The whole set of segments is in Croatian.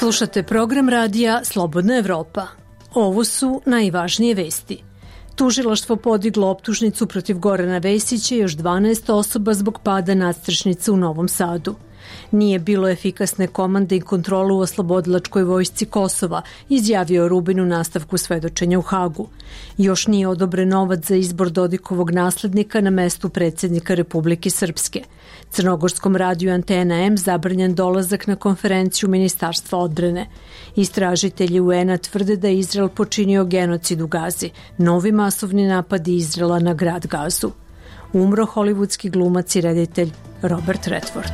Slušate program radija Slobodna Evropa. Ovo su najvažnije vesti. Tužilaštvo podiglo optužnicu protiv Gorana Vesića i još 12 osoba zbog pada nadstrešnice u Novom Sadu. Nije bilo efikasne komande i kontrolu u oslobodilačkoj vojsci Kosova, izjavio Rubin u nastavku svedočenja u Hagu. Još nije odobren novac za izbor Dodikovog naslednika na mestu predsjednika Republike Srpske. Crnogorskom radiju Antena M zabranjen dolazak na konferenciju Ministarstva odbrane. Istražitelji UN-a tvrde da je Izrael počinio genocid u Gazi, novi masovni napadi Izraela na grad Gazu. Umro hollywoodski glumac i reditelj Robert Redford.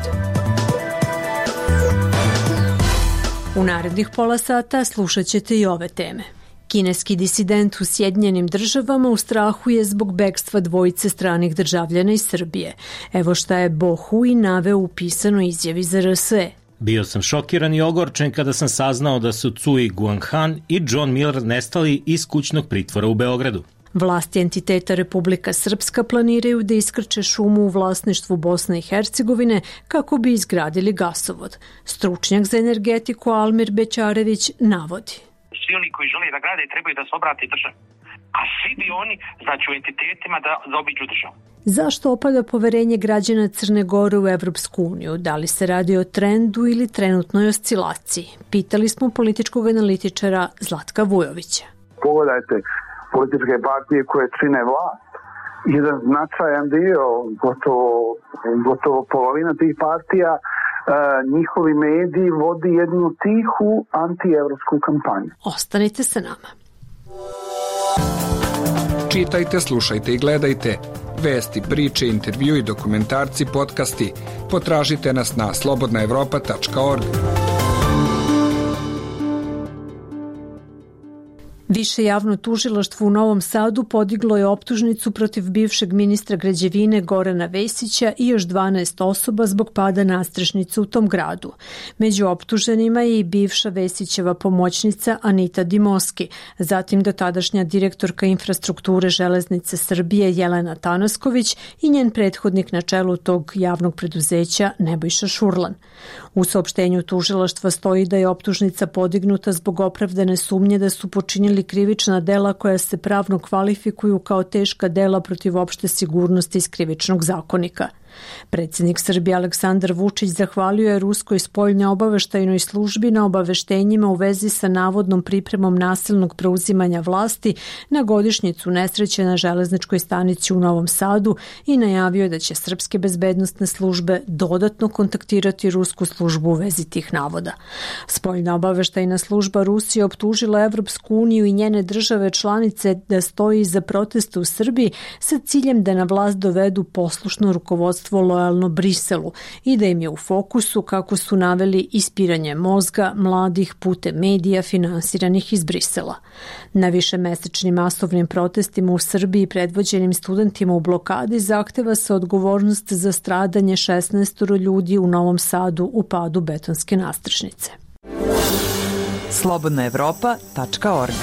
U narednih pola sata slušat ćete i ove teme. Kineski disident u Sjedinjenim Državama u strahu je zbog bekstva dvojice stranih državljana iz Srbije. Evo šta je Bo Hui naveo u pisanoj izjavi za RSE. Bio sam šokiran i ogorčen kada sam saznao da su Cui Guanghan i John Miller nestali iz kućnog pritvora u Beogradu. Vlasti entiteta Republika Srpska planiraju da iskrče šumu u vlasništvu Bosne i Hercegovine kako bi izgradili gasovod. Stručnjak za energetiku Almir Bećarević navodi. Svi oni koji žele da grade trebaju da se obrate državi, a svi bi oni, znači u entitetima, da zaobiđu državu. Zašto opada poverenje građana Crne Gore u Evropsku uniju? Da li se radi o trendu ili trenutnoj oscilaciji? Pitali smo političkog analitičara Zlatka Vujovića. Pogledajte političke partije koje čine vlast. Jedan značajan dio, gotovo polovina tih partija, njihovi mediji vodi jednu tihu antievropsku kampanju. Ostanite sa nama. Čitajte, slušajte i gledajte. Vesti, priče, intervjui, dokumentarci, podcasti. Potražite nas na slobodnaevropa.org. Više javno tužilaštvo u Novom Sadu podiglo je optužnicu protiv bivšeg ministra građevine Gorana Vesića i još 12 osoba zbog pada nadstrešnice u tom gradu. Među optuženima je i bivša Vesićeva pomoćnica Anita Dimoski, zatim dotadašnja direktorka infrastrukture Železnice Srbije Jelena Tanasković i njen prethodnik na čelu tog javnog preduzeća Nebojša Šurlan. U saopštenju tužilaštva stoji da je optužnica podignuta zbog opravdane sumnje da su počinili krivična dela koja se pravno kvalifikuju kao teška dela protiv opšte sigurnosti iz krivičnog zakonika. Predsjednik Srbije Aleksandar Vučić zahvalio je Ruskoj spoljnoj obaveštajnoj službi na obaveštenjima u vezi sa navodnom pripremom nasilnog preuzimanja vlasti na godišnjicu nesreće na železničkoj stanici u Novom Sadu i najavio da će srpske bezbednosne službe dodatno kontaktirati rusku službu u vezi tih navoda. Spoljna obaveštajna služba Rusije optužila Evropsku uniju i njene države članice da stoji iza protesta u Srbiji sa ciljem da na vlast dovedu poslušno rukovodstvo lojalno Briselu i da im je u fokusu, kako su naveli, ispiranje mozga mladih putem medija finansiranih iz Brisela. Na višemesečnim masovnim protestima u Srbiji predvođenim studentima u blokadi zahteva se odgovornost za stradanje 16 ljudi u Novom Sadu u padu betonske nadstrešnice. slobodnaevropa.org.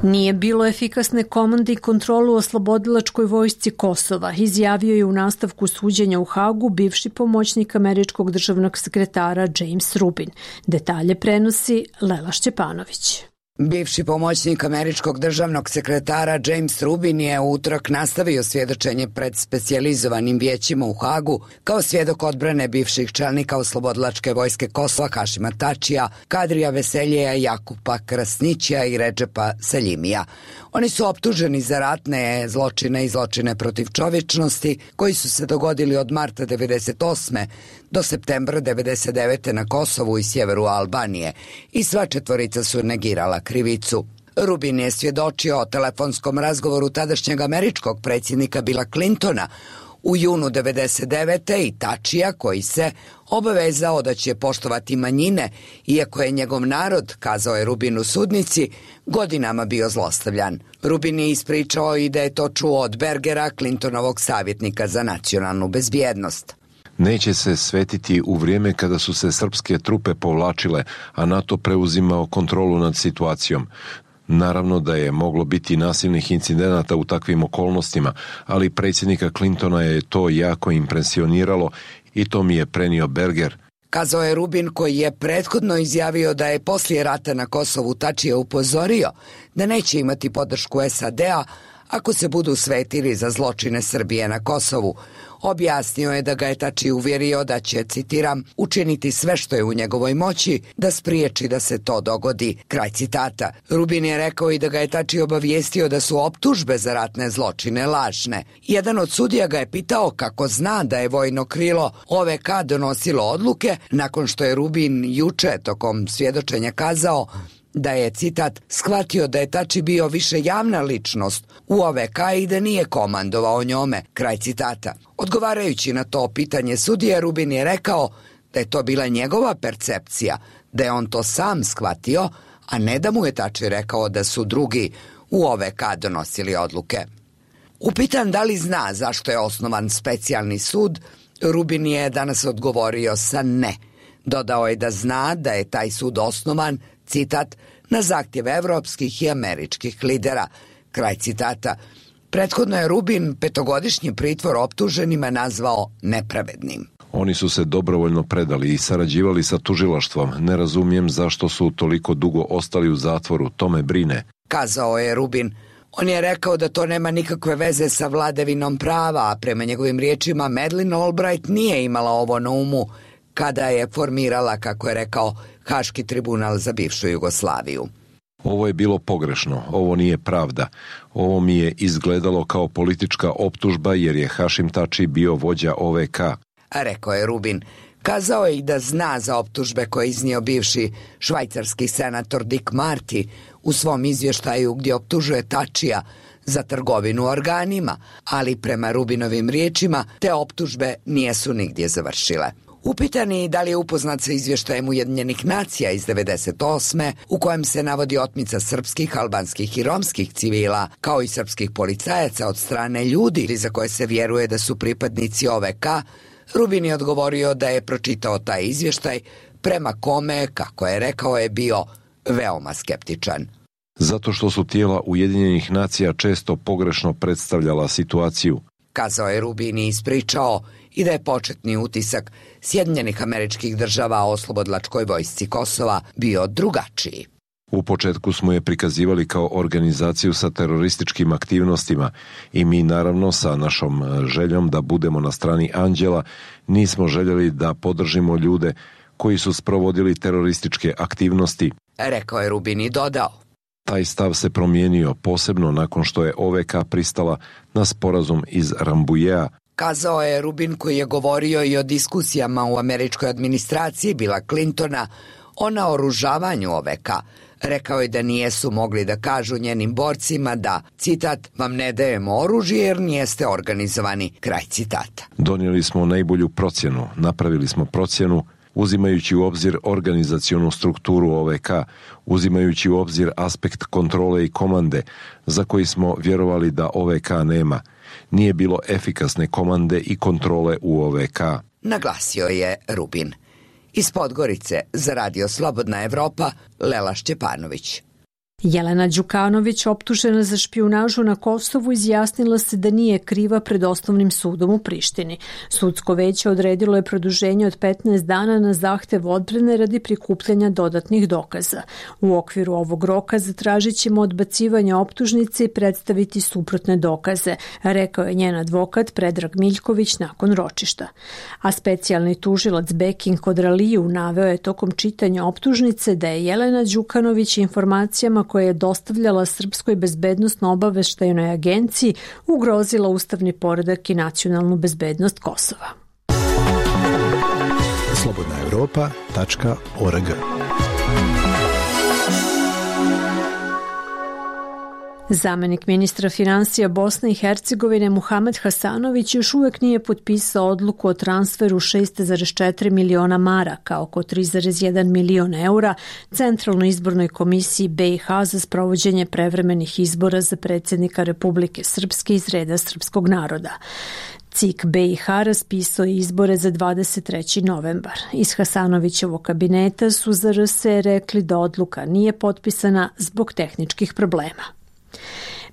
Nije bilo efikasne komande i kontrolu u oslobodilačkoj vojsci Kosova, izjavio je u nastavku suđenja u Hagu bivši pomoćnik američkog državnog sekretara James Rubin. Detalje prenosi Lela Šćepanović. Bivši pomoćnik američkog državnog sekretara James Rubin je u utorak nastavio svjedočenje pred specijalizovanim vijećima u Hagu kao svjedok odbrane bivših čelnika oslobodilačke vojske Kosova Hašima Tačija, Kadrija Veseljeja, Jakupa Krasnićija i Redžepa Seljimija. Oni su optuženi za ratne zločine i zločine protiv čovječnosti koji su se dogodili od marta 1998. do septembra 1999. na Kosovu i sjeveru Albanije i sva četvorica su negirala krivicu. Rubin je svjedočio o telefonskom razgovoru tadašnjeg američkog predsjednika Billa Clintona u junu 1999. i Tačija koji se obavezao da će poštovati manjine, iako je njegov narod, kazao je Rubin u sudnici, godinama bio zlostavljan. Rubin je ispričao i da je to čuo od Bergera, Clintonovog savjetnika za nacionalnu bezbjednost. Neće se svetiti u vrijeme kada su se srpske trupe povlačile, a NATO preuzimao kontrolu nad situacijom. Naravno da je moglo biti nasilnih incidenata u takvim okolnostima, ali predsjednika Clintona je to jako impresioniralo i to mi je prenio Berger, Kazao je Rubin, koji je prethodno izjavio da je poslije rata na Kosovu Tačija upozorio da neće imati podršku SAD-a ako se budu svetili za zločine Srbije na Kosovu. Objasnio je da ga je Tači uvjerio da će, citiram, učiniti sve što je u njegovoj moći da spriječi da se to dogodi. Kraj citata. Rubin je rekao i da ga je Tači obavijestio da su optužbe za ratne zločine lažne. Jedan od sudija ga je pitao kako zna da je vojno krilo OVK donosilo odluke nakon što je Rubin juče tokom svjedočenja kazao da je, citat, shvatio da je Tači bio više javna ličnost u OVK i da nije komandovao njome, kraj citata. Odgovarajući na to pitanje sudije, Rubin je rekao da je to bila njegova percepcija, da je on to sam shvatio, a ne da mu je Tači rekao da su drugi u OVK donosili odluke. Upitan da li zna zašto je osnovan specijalni sud, Rubin je danas odgovorio sa ne. Dodao je da zna da je taj sud osnovan, citat, na zahtjev evropskih i američkih lidera, kraj citata. Prethodno je Rubin 5-godišnji pritvor optuženima nazvao nepravednim. Oni su se dobrovoljno predali i sarađivali sa tužilaštvom. Ne razumijem zašto su toliko dugo ostali u zatvoru, to me brine, kazao je Rubin. On je rekao da to nema nikakve veze sa vladavinom prava, a prema njegovim riječima Madeleine Albright nije imala ovo na umu kada je formirala, kako je rekao, Haški tribunal za bivšu Jugoslaviju. Ovo je bilo pogrešno, ovo nije pravda. Ovo mi je izgledalo kao politička optužba jer je Hašim Tači bio vođa OVK, rekao je Rubin. Kazao je i da zna za optužbe koje je iznio bivši švajcarski senator Dick Marty u svom izvještaju gdje optužuje Tačija za trgovinu organima, ali prema Rubinovim riječima te optužbe nisu nigdje završile. Upitani da li je upoznat sa izvještajem Ujedinjenih nacija iz 1998. u kojem se navodi otmica srpskih, albanskih i romskih civila, kao i srpskih policajaca od strane ljudi za koje se vjeruje da su pripadnici OVK, Rubin je odgovorio da je pročitao taj izvještaj, prema kome, kako je rekao, je bio veoma skeptičan. Zato što su tijela Ujedinjenih nacija često pogrešno predstavljala situaciju, kazao je Rubin i ispričao i da je početni utisak Sjedinjenih Američkih Država o oslobodilačkoj vojsci Kosova bio drugačiji. U početku smo je prikazivali kao organizaciju sa terorističkim aktivnostima i mi naravno sa našom željom da budemo na strani anđela nismo željeli da podržimo ljude koji su sprovodili terorističke aktivnosti, rekao je Rubin i dodao. Taj stav se promijenio posebno nakon što je OVK pristala na sporazum iz Rambujea, kazao je Rubin, koji je govorio i o diskusijama u američkoj administraciji Billa Clintona o naoružavanju OVK. Rekao je da nijesu mogli da kažu njenim borcima da, citat, vam ne dajemo oružje jer nijeste organizovani, kraj citata. Donijeli smo najbolju procjenu, napravili smo procjenu uzimajući u obzir organizacionu strukturu OVK, uzimajući u obzir aspekt kontrole i komande za koji smo vjerovali da OVK nema. Nije bilo efikasne komande i kontrole u OVK, naglasio je Rubin. Iz Podgorice za Radio Slobodna Evropa, Lela Šćepanović. Jelena Đukanović, optužena za špijunažu na Kosovu, izjasnila se da nije kriva pred osnovnim sudom u Prištini. Sudsko veće odredilo je produženje od 15 dana na zahtev odbrane radi prikupljanja dodatnih dokaza. U okviru ovog roka zatražit ćemo odbacivanje optužnice i predstaviti suprotne dokaze, rekao je njen advokat Predrag Miljković nakon ročišta. A specijalni tužilac Bekin Kodraliju naveo je tokom čitanja optužnice da je Jelena Đukanović informacijama koje je dostavljala Srpskoj bezbednosno-obaveštajnoj agenciji ugrozila ustavni poredak i nacionalnu bezbednost Kosova. slobodnaevropa.org. Zamenik ministra finansija Bosne i Hercegovine Muhamed Hasanović još uvijek nije potpisao odluku o transferu 6,4 miliona maraka, oko 3,1 milion eura, Centralnoj izbornoj komisiji BiH za sprovođenje prevremenih izbora za predsjednika Republike Srpske iz reda srpskog naroda. CIK BiH raspisao je izbore za 23. novembar. Iz Hasanovićevog kabineta su za RS rekli da odluka nije potpisana zbog tehničkih problema.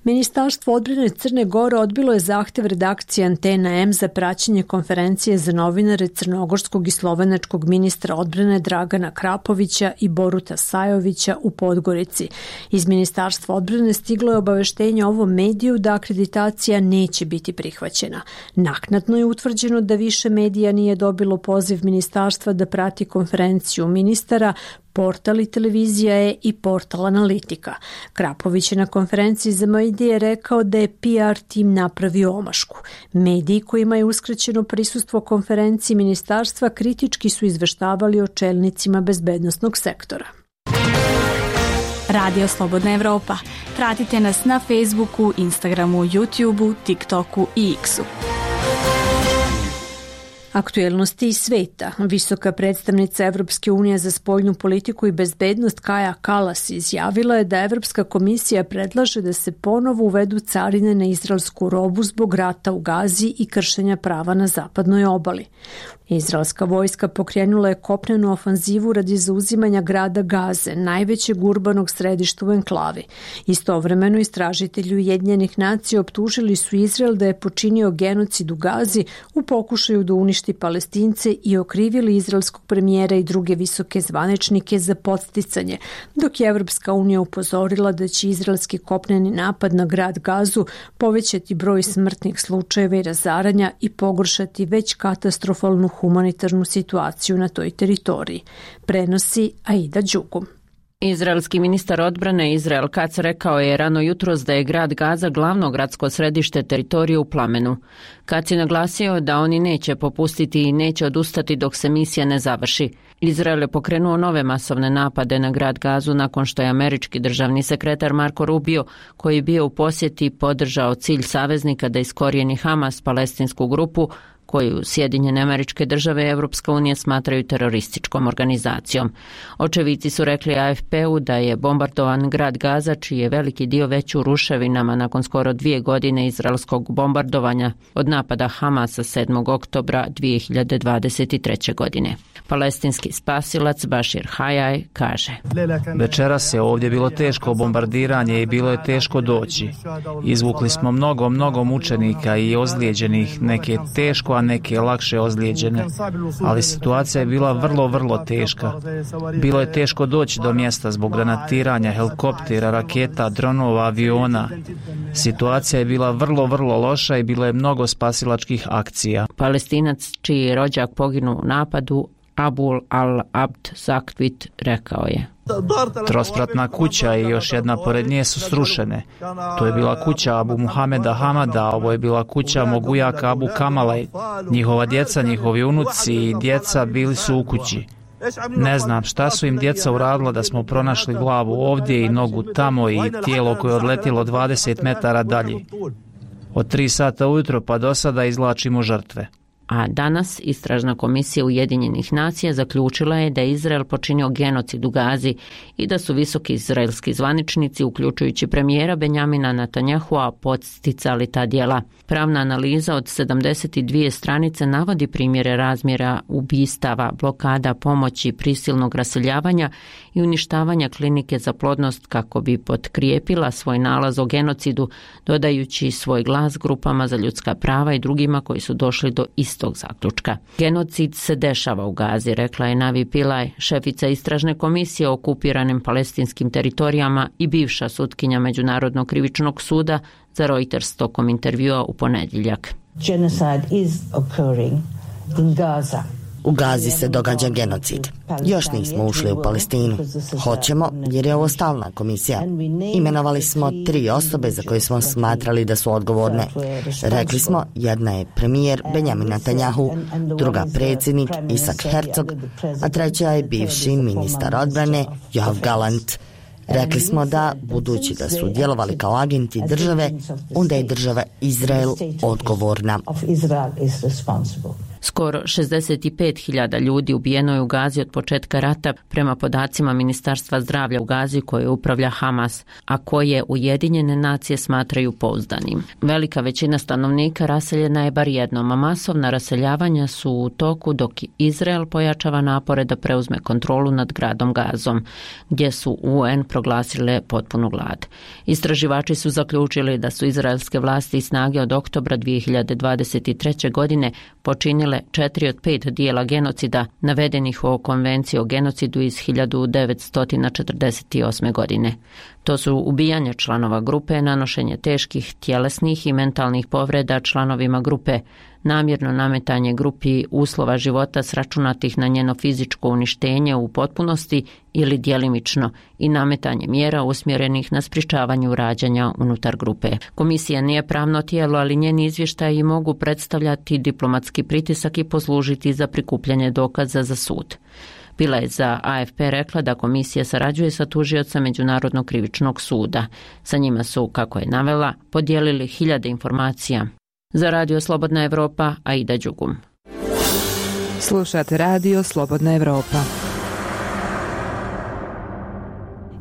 Ministarstvo odbrane Crne Gore odbilo je zahtev redakcije Antena M za praćenje konferencije za novinare crnogorskog i slovenačkog ministra odbrane Dragana Krapovića i Boruta Sajovića u Podgorici. Iz Ministarstva odbrane stiglo je obaveštenje ovom mediju da akreditacija neće biti prihvaćena. Naknadno je utvrđeno da više medija nije dobilo poziv ministarstva da prati konferenciju ministara, portal i televizija je i portal Analitika. Krapović je na konferenciji za medije rekao da je PR tim napravio omašku. Mediji kojima je uskraćeno prisustvo konferenciji ministarstva kritički su izveštavali o čelnicima bezbednosnog sektora. Radio Slobodna Evropa. Pratite nas na Facebooku, Instagramu, YouTubeu, TikToku i X-u. Aktuelnosti iz sveta. Visoka predstavnica Evropske unije za spoljnu politiku i bezbednost Kaja Kallas izjavila je da Evropska komisija predlaže da se ponovo uvedu carine na izraelsku robu zbog rata u Gazi i kršenja prava na zapadnoj obali. Izraelska vojska pokrenula je kopnenu ofanzivu radi zauzimanja grada Gaze, najvećeg urbanog središta u enklavi. Istovremeno istražitelji Ujedinjenih nacija optužili su Izrael da je počinio genocid u Gazi u pokušaju da uništi Palestince i okrivili izraelskog premijera i druge visoke zvaničnike za podsticanje, dok je Evropska unija upozorila da će izraelski kopneni napad na grad Gazu povećati broj smrtnih slučajeva i razaranja i pogoršati već katastrofalnu humanitarnu situaciju na toj teritoriji. Prenosi Aida Đugum. Izraelski ministar odbrane Izrael Katz rekao je rano jutros da je grad Gaza glavno gradsko središte teritorije u plamenu. Katz je naglasio da oni neće popustiti i neće odustati dok se misija ne završi. Izrael je pokrenuo nove masovne napade na grad Gazu nakon što je američki državni sekretar Marco Rubio, koji je bio u posjeti, podržao cilj saveznika da iskorijeni Hamas, palestinsku grupu, koju Sjedinjene Američke Države i Evropska unija smatraju terorističkom organizacijom. Očevici su rekli AFP-u da je bombardovan grad Gaza, čiji je veliki dio već u ruševinama nakon skoro 2 godine izraelskog bombardovanja od napada Hamasa 7. oktobra 2023. godine. Palestinski spasilac Bashir Hayaj kaže: Večeras je ovdje bilo teško bombardiranje i bilo je teško doći. Izvukli smo mnogo mučenika i ozlijeđenih, neke teško, a neke lakše ozlijeđene. Ali situacija je bila vrlo teška. Bilo je teško doći do mjesta zbog granatiranja, helikoptera, raketa, dronova, aviona. Situacija je bila vrlo loša i bilo je mnogo spasilačkih akcija. Palestinac čiji je rođak poginuo u napadu, Abul al-Abd Zakwit, rekao je: Trospratna kuća i još jedna pored nje su srušene. To je bila kuća Abu Muhameda Hamada, a ovo je bila kuća mog ujaka Abu Kamala. Njihova djeca, njihovi unuci i djeca bili su u kući. Ne znam šta su im djeca uradila da smo pronašli glavu ovdje i nogu tamo i tijelo koje je odletilo 20 metara dalje. Od 3 sata ujutro pa do sada izvlačimo žrtve. A danas istražna komisija Ujedinjenih nacija zaključila je da je Izrael počinio genocid u Gazi i da su visoki izraelski zvaničnici, uključujući premijera Benjamina Netanyahua, podsticali ta djela. Pravna analiza od 72 stranice navodi primjere razmjera ubistava, blokada pomoći, prisilnog raseljavanja i uništavanja klinike za plodnost kako bi potkrijepila svoj nalaz o genocidu, dodajući svoj glas grupama za ljudska prava i drugima koji su došli do istog zaključka. Genocid se dešava u Gazi, rekla je Navi Pillay, šefica istražne komisije o okupiranim palestinskim teritorijama i bivša sutkinja Međunarodnog krivičnog suda za Reuters tokom intervjua u ponedjeljak. Genocide is occurring in Gaza. U Gazi se događa genocid. Još nismo ušli u Palestinu. Hoćemo jer je ovo stalna komisija. Imenovali smo 3 osobe za koje smo smatrali da su odgovorne. Rekli smo, jedna je premijer Benjamin Netanyahu, druga predsjednik Isaac Herzog, a treća je bivši ministar odbrane Yoav Gallant. Rekli smo da, budući da su djelovali kao agenti države, onda je država Izrael odgovorna. Skoro 65.000 ljudi ubijeno je u Gazi od početka rata prema podacima Ministarstva zdravlja u Gazi koje upravlja Hamas, a koje Ujedinjene nacije smatraju pouzdanim. Velika većina stanovnika raseljena je bar jednom, a masovna raseljavanja su u toku dok Izrael pojačava napore da preuzme kontrolu nad gradom Gazom, gdje su UN proglasile potpunu glad. Istraživači su zaključili da su izraelske vlasti i snage od oktobra 2023. godine počinile 4 od 5 dijela genocida navedenih u Konvenciji o genocidu iz 1948. godine. To su ubijanje članova grupe, nanošenje teških tjelesnih i mentalnih povreda članovima grupe, namjerno nametanje grupi uslova života sračunatih na njeno fizičko uništenje u potpunosti ili djelimično i nametanje mjera usmjerenih na sprječavanju rađanja unutar grupe. Komisija nije pravno tijelo, ali njeni izvještaji mogu predstavljati diplomatski pritisak i poslužiti za prikupljanje dokaza za sud. Bila je za AFP rekla da komisija sarađuje sa tužiocem Međunarodnog krivičnog suda. Sa njima su, kako je navela, podijelili hiljade informacija. Za Radio Slobodna Evropa, Aida Đugum. Slušate Radio Slobodna Evropa.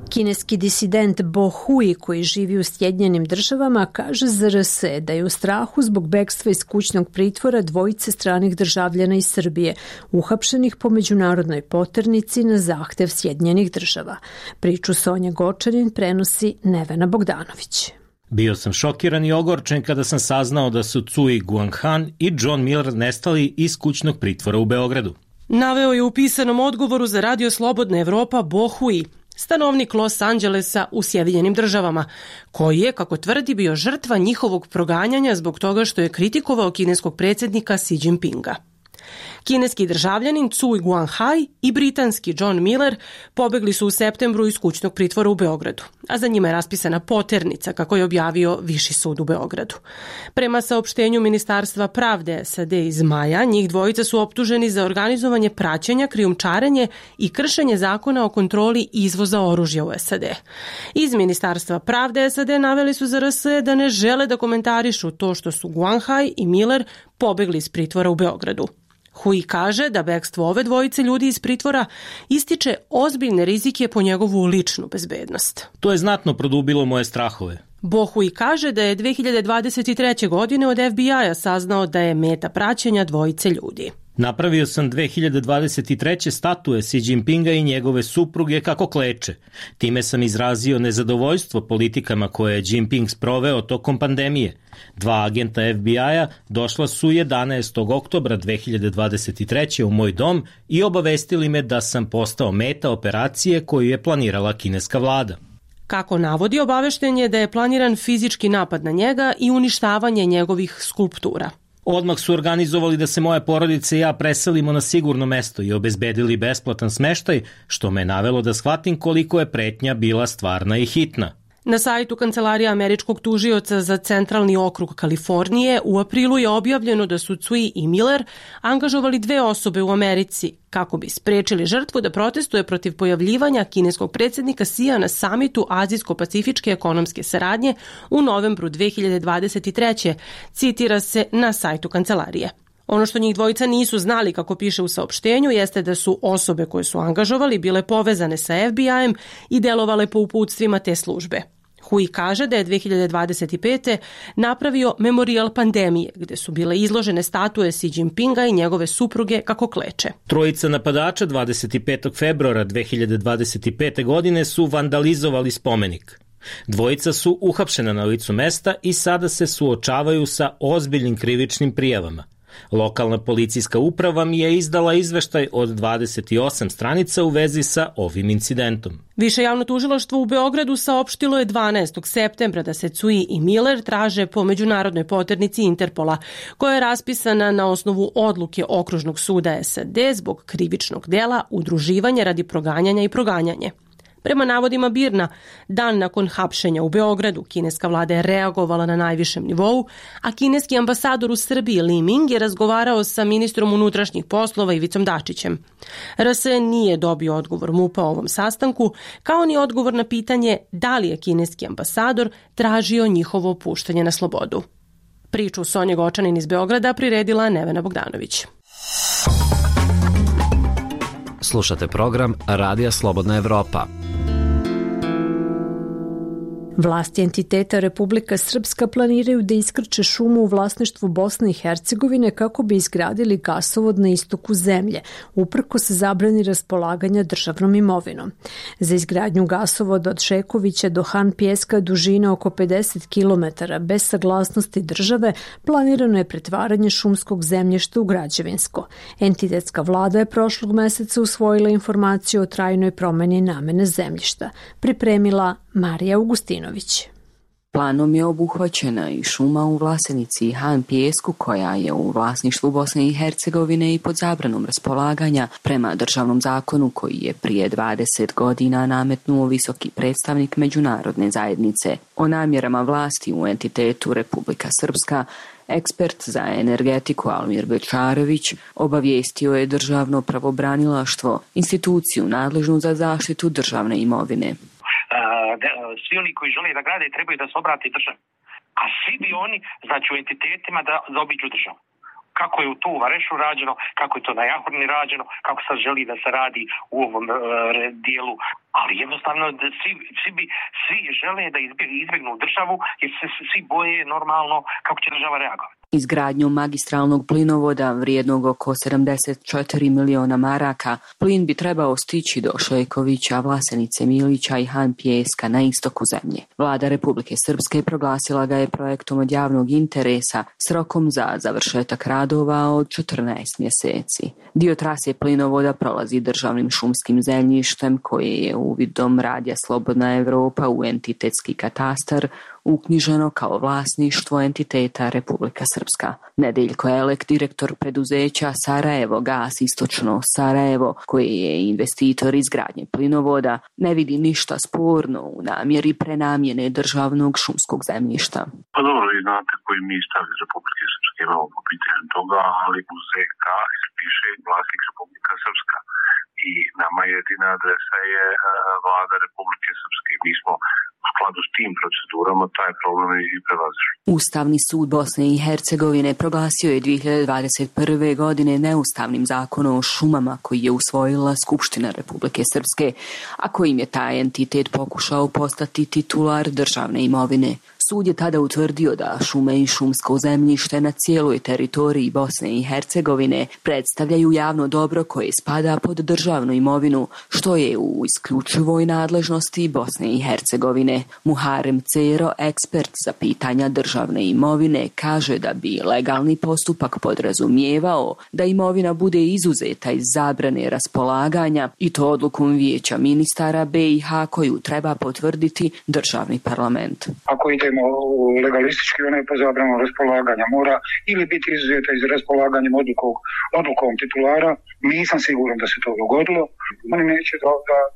Kineski disident Bo Hui, koji živi u Sjedinjenim Državama, kaže za RS da je u strahu zbog bekstva iz kućnog pritvora dvojice stranih državljana iz Srbije, uhapšenih po međunarodnoj poternici na zahtev Sjedinjenih Država. Priču Sonja Gočanin prenosi Nevena Bogdanović. Bio sam šokiran i ogorčen kada sam saznao da su Cui Guanghan i John Miller nestali iz kućnog pritvora u Beogradu. Naveo je u pisanom odgovoru za Radio Slobodna Evropa Bo Hui, stanovnik Los Angelesa u Sjedinjenim Državama, koji je, kako tvrdi, bio žrtva njihovog proganjanja zbog toga što je kritikovao kineskog predsjednika Xi Jinpinga. Kineski državljanin Cui Guanghai i britanski John Miller pobegli su u septembru iz kućnog pritvora u Beogradu, a za njima je raspisana poternica, kako je objavio Viši sud u Beogradu. Prema saopštenju Ministarstva pravde SAD iz maja, njih dvojica su optuženi za organizovanje praćenja, krijumčarenje i kršenje zakona o kontroli izvoza oružja u SAD. Iz Ministarstva pravde SAD naveli su za RS da ne žele da komentarišu to što su Guanghai i Miller pobegli iz pritvora u Beogradu. Hui kaže da bekstvo ove dvojice ljudi iz pritvora ističe ozbiljne rizike po njegovu ličnu bezbednost. To je znatno produbilo moje strahove. Bo Hui kaže da je 2023. godine od FBI-a saznao da je meta praćenja dvojice ljudi. Napravio sam 2023. statue Xi Jinpinga i njegove supruge kako kleče. Time sam izrazio nezadovoljstvo politikama koje je Jinping sproveo tokom pandemije. 2 agenta FBI-a došla su 11. oktobra 2023. u moj dom i obavestili me da sam postao meta operacije koju je planirala kineska vlada. Kako navodi, obavešten je da je planiran fizički napad na njega i uništavanje njegovih skulptura. Odmah su organizovali da se moja porodica i ja preselimo na sigurno mesto i obezbedili besplatan smeštaj, što me navelo da shvatim koliko je pretnja bila stvarna i hitna. Na sajtu Kancelarija američkog tužioca za centralni okrug Kalifornije u aprilu je objavljeno da su Cui i Miller angažovali 2 osobe u Americi kako bi sprečili žrtvu da protestuje protiv pojavljivanja kineskog predsjednika Xija na samitu Azijsko-pacifičke ekonomske saradnje u novembru 2023. Citira se na sajtu kancelarije. Ono što njih dvojica nisu znali, kako piše u saopštenju, jeste da su osobe koje su angažovali bile povezane sa FBI-em i delovale po uputstvima te službe. Hui kaže da je 2025. napravio memorijal pandemije, gde su bile izložene statue Xi Jinpinga i njegove supruge kako kleče. Trojica napadača 25. februara 2025. godine su vandalizovali spomenik. Dvojica su uhapšena na licu mesta i sada se suočavaju sa ozbiljnim krivičnim prijavama. Lokalna policijska uprava mi je izdala izveštaj od 28 stranica u vezi sa ovim incidentom. Više javno tužilaštvo u Beogradu saopštilo je 12. septembra da se Cui i Miller traže po međunarodnoj poternici Interpola, koja je raspisana na osnovu odluke Okružnog suda SAD zbog krivičnog dela udruživanja radi proganjanja i proganjanje. Prema navodima BIRN-a, dan nakon hapšenja u Beogradu, kineska vlada je reagovala na najvišem nivou, a kineski ambasador u Srbiji Li Ming je razgovarao sa ministrom unutrašnjih poslova Ivicom Dačićem. RS nije dobio odgovor MUP-a o ovom sastanku, kao ni odgovor na pitanje da li je kineski ambasador tražio njihovo puštanje na slobodu. Priču Sonje Gočanin iz Beograda priredila Nevena Bogdanović. Slušate program Radija Slobodna Evropa. Vlasti entiteta Republika Srpska planiraju da iskrče šumu u vlasništvu Bosne i Hercegovine kako bi izgradili gasovod na istoku zemlje, uprkos zabrani raspolaganja državnom imovinom. Za izgradnju gasovoda od Šekovića do Han Pijeska dužine oko 50 km bez saglasnosti države planirano je pretvaranje šumskog zemljišta u građevinsko. Entitetska vlada je prošlog meseca usvojila informaciju o trajnoj promeni namene zemljišta. Pripremila Marija Augustinović. Planom je obuhvaćena i šuma u Vlasenici i Han Pijesku, koja je u vlasništvu Bosne i Hercegovine i pod zabranom raspolaganja prema državnom zakonu koji je prije 20 godina nametnuo visoki predstavnik međunarodne zajednice. O namjerama vlasti u entitetu Republika Srpska ekspert za energetiku Almir Bečarević obavijestio je državno pravobranilaštvo, instituciju nadležnu za zaštitu državne imovine. Svi oni koji žele da grade trebaju da se obrati državi. A svi bi oni, znači u entitetima, da zaobiđu državu. Kako je to u Varešu rađeno, kako je to na Jahorni rađeno, kako sad želi da se radi u ovom dijelu. Ali jednostavno svi žele da izbjegnu državu jer se svi boje normalno kako će država reagovati. Izgradnjom magistralnog plinovoda vrijednog oko 74 miliona maraka, plin bi trebao stići do Šekovića, Vlasenice, Milića i Han Pijeska na istoku zemlje. Vlada Republike Srpske proglasila ga je projektom od javnog interesa s rokom za završetak radova od 14 mjeseci. Dio trase plinovoda prolazi državnim šumskim zemljištem koje je uvidom Radija Slobodna Evropa u entitetski katastar uknjiženo kao vlasništvo entiteta Republika Srpska. Nedeljko Elek, direktor preduzeća Sarajevo Gas Istočno Sarajevo, koji je investitor izgradnje plinovoda, ne vidi ništa sporno u namjeri prenamjene državnog šumskog zemljišta. Pa dobro, vi znate koji mi stav iz Republike Srpske imamo po pitanju toga, ali u ZK piše vlasnik Republika Srpska. I nama jedina adresa je vlada Republike Srpske. Mi smo u skladu s tim procedurama taj problem i prelazili. Ustavni sud Bosne i Hercegovine proglasio je 2021. godine neustavnim zakonom o šumama koji je usvojila Skupština Republike Srpske, a kojim je taj entitet pokušao postati titular državne imovine. Sud je tada utvrdio da šume i šumsko zemljište na cijeloj teritoriji Bosne i Hercegovine predstavljaju javno dobro koje spada pod državnu imovinu, što je u isključivoj nadležnosti Bosne i Hercegovine. Muharem Cero, ekspert za pitanja državne imovine, kaže da bi legalni postupak podrazumijevao da imovina bude izuzeta iz zabrane raspolaganja i to odlukom Vijeća ministara BiH koju treba potvrditi državni parlament. Ako idemo legalistički, ona je po zabranu raspolaganja. Mora ili biti izuzeta iz raspolaganjem odlukom titulara. Nisam siguran da se to dogodilo. Oni neće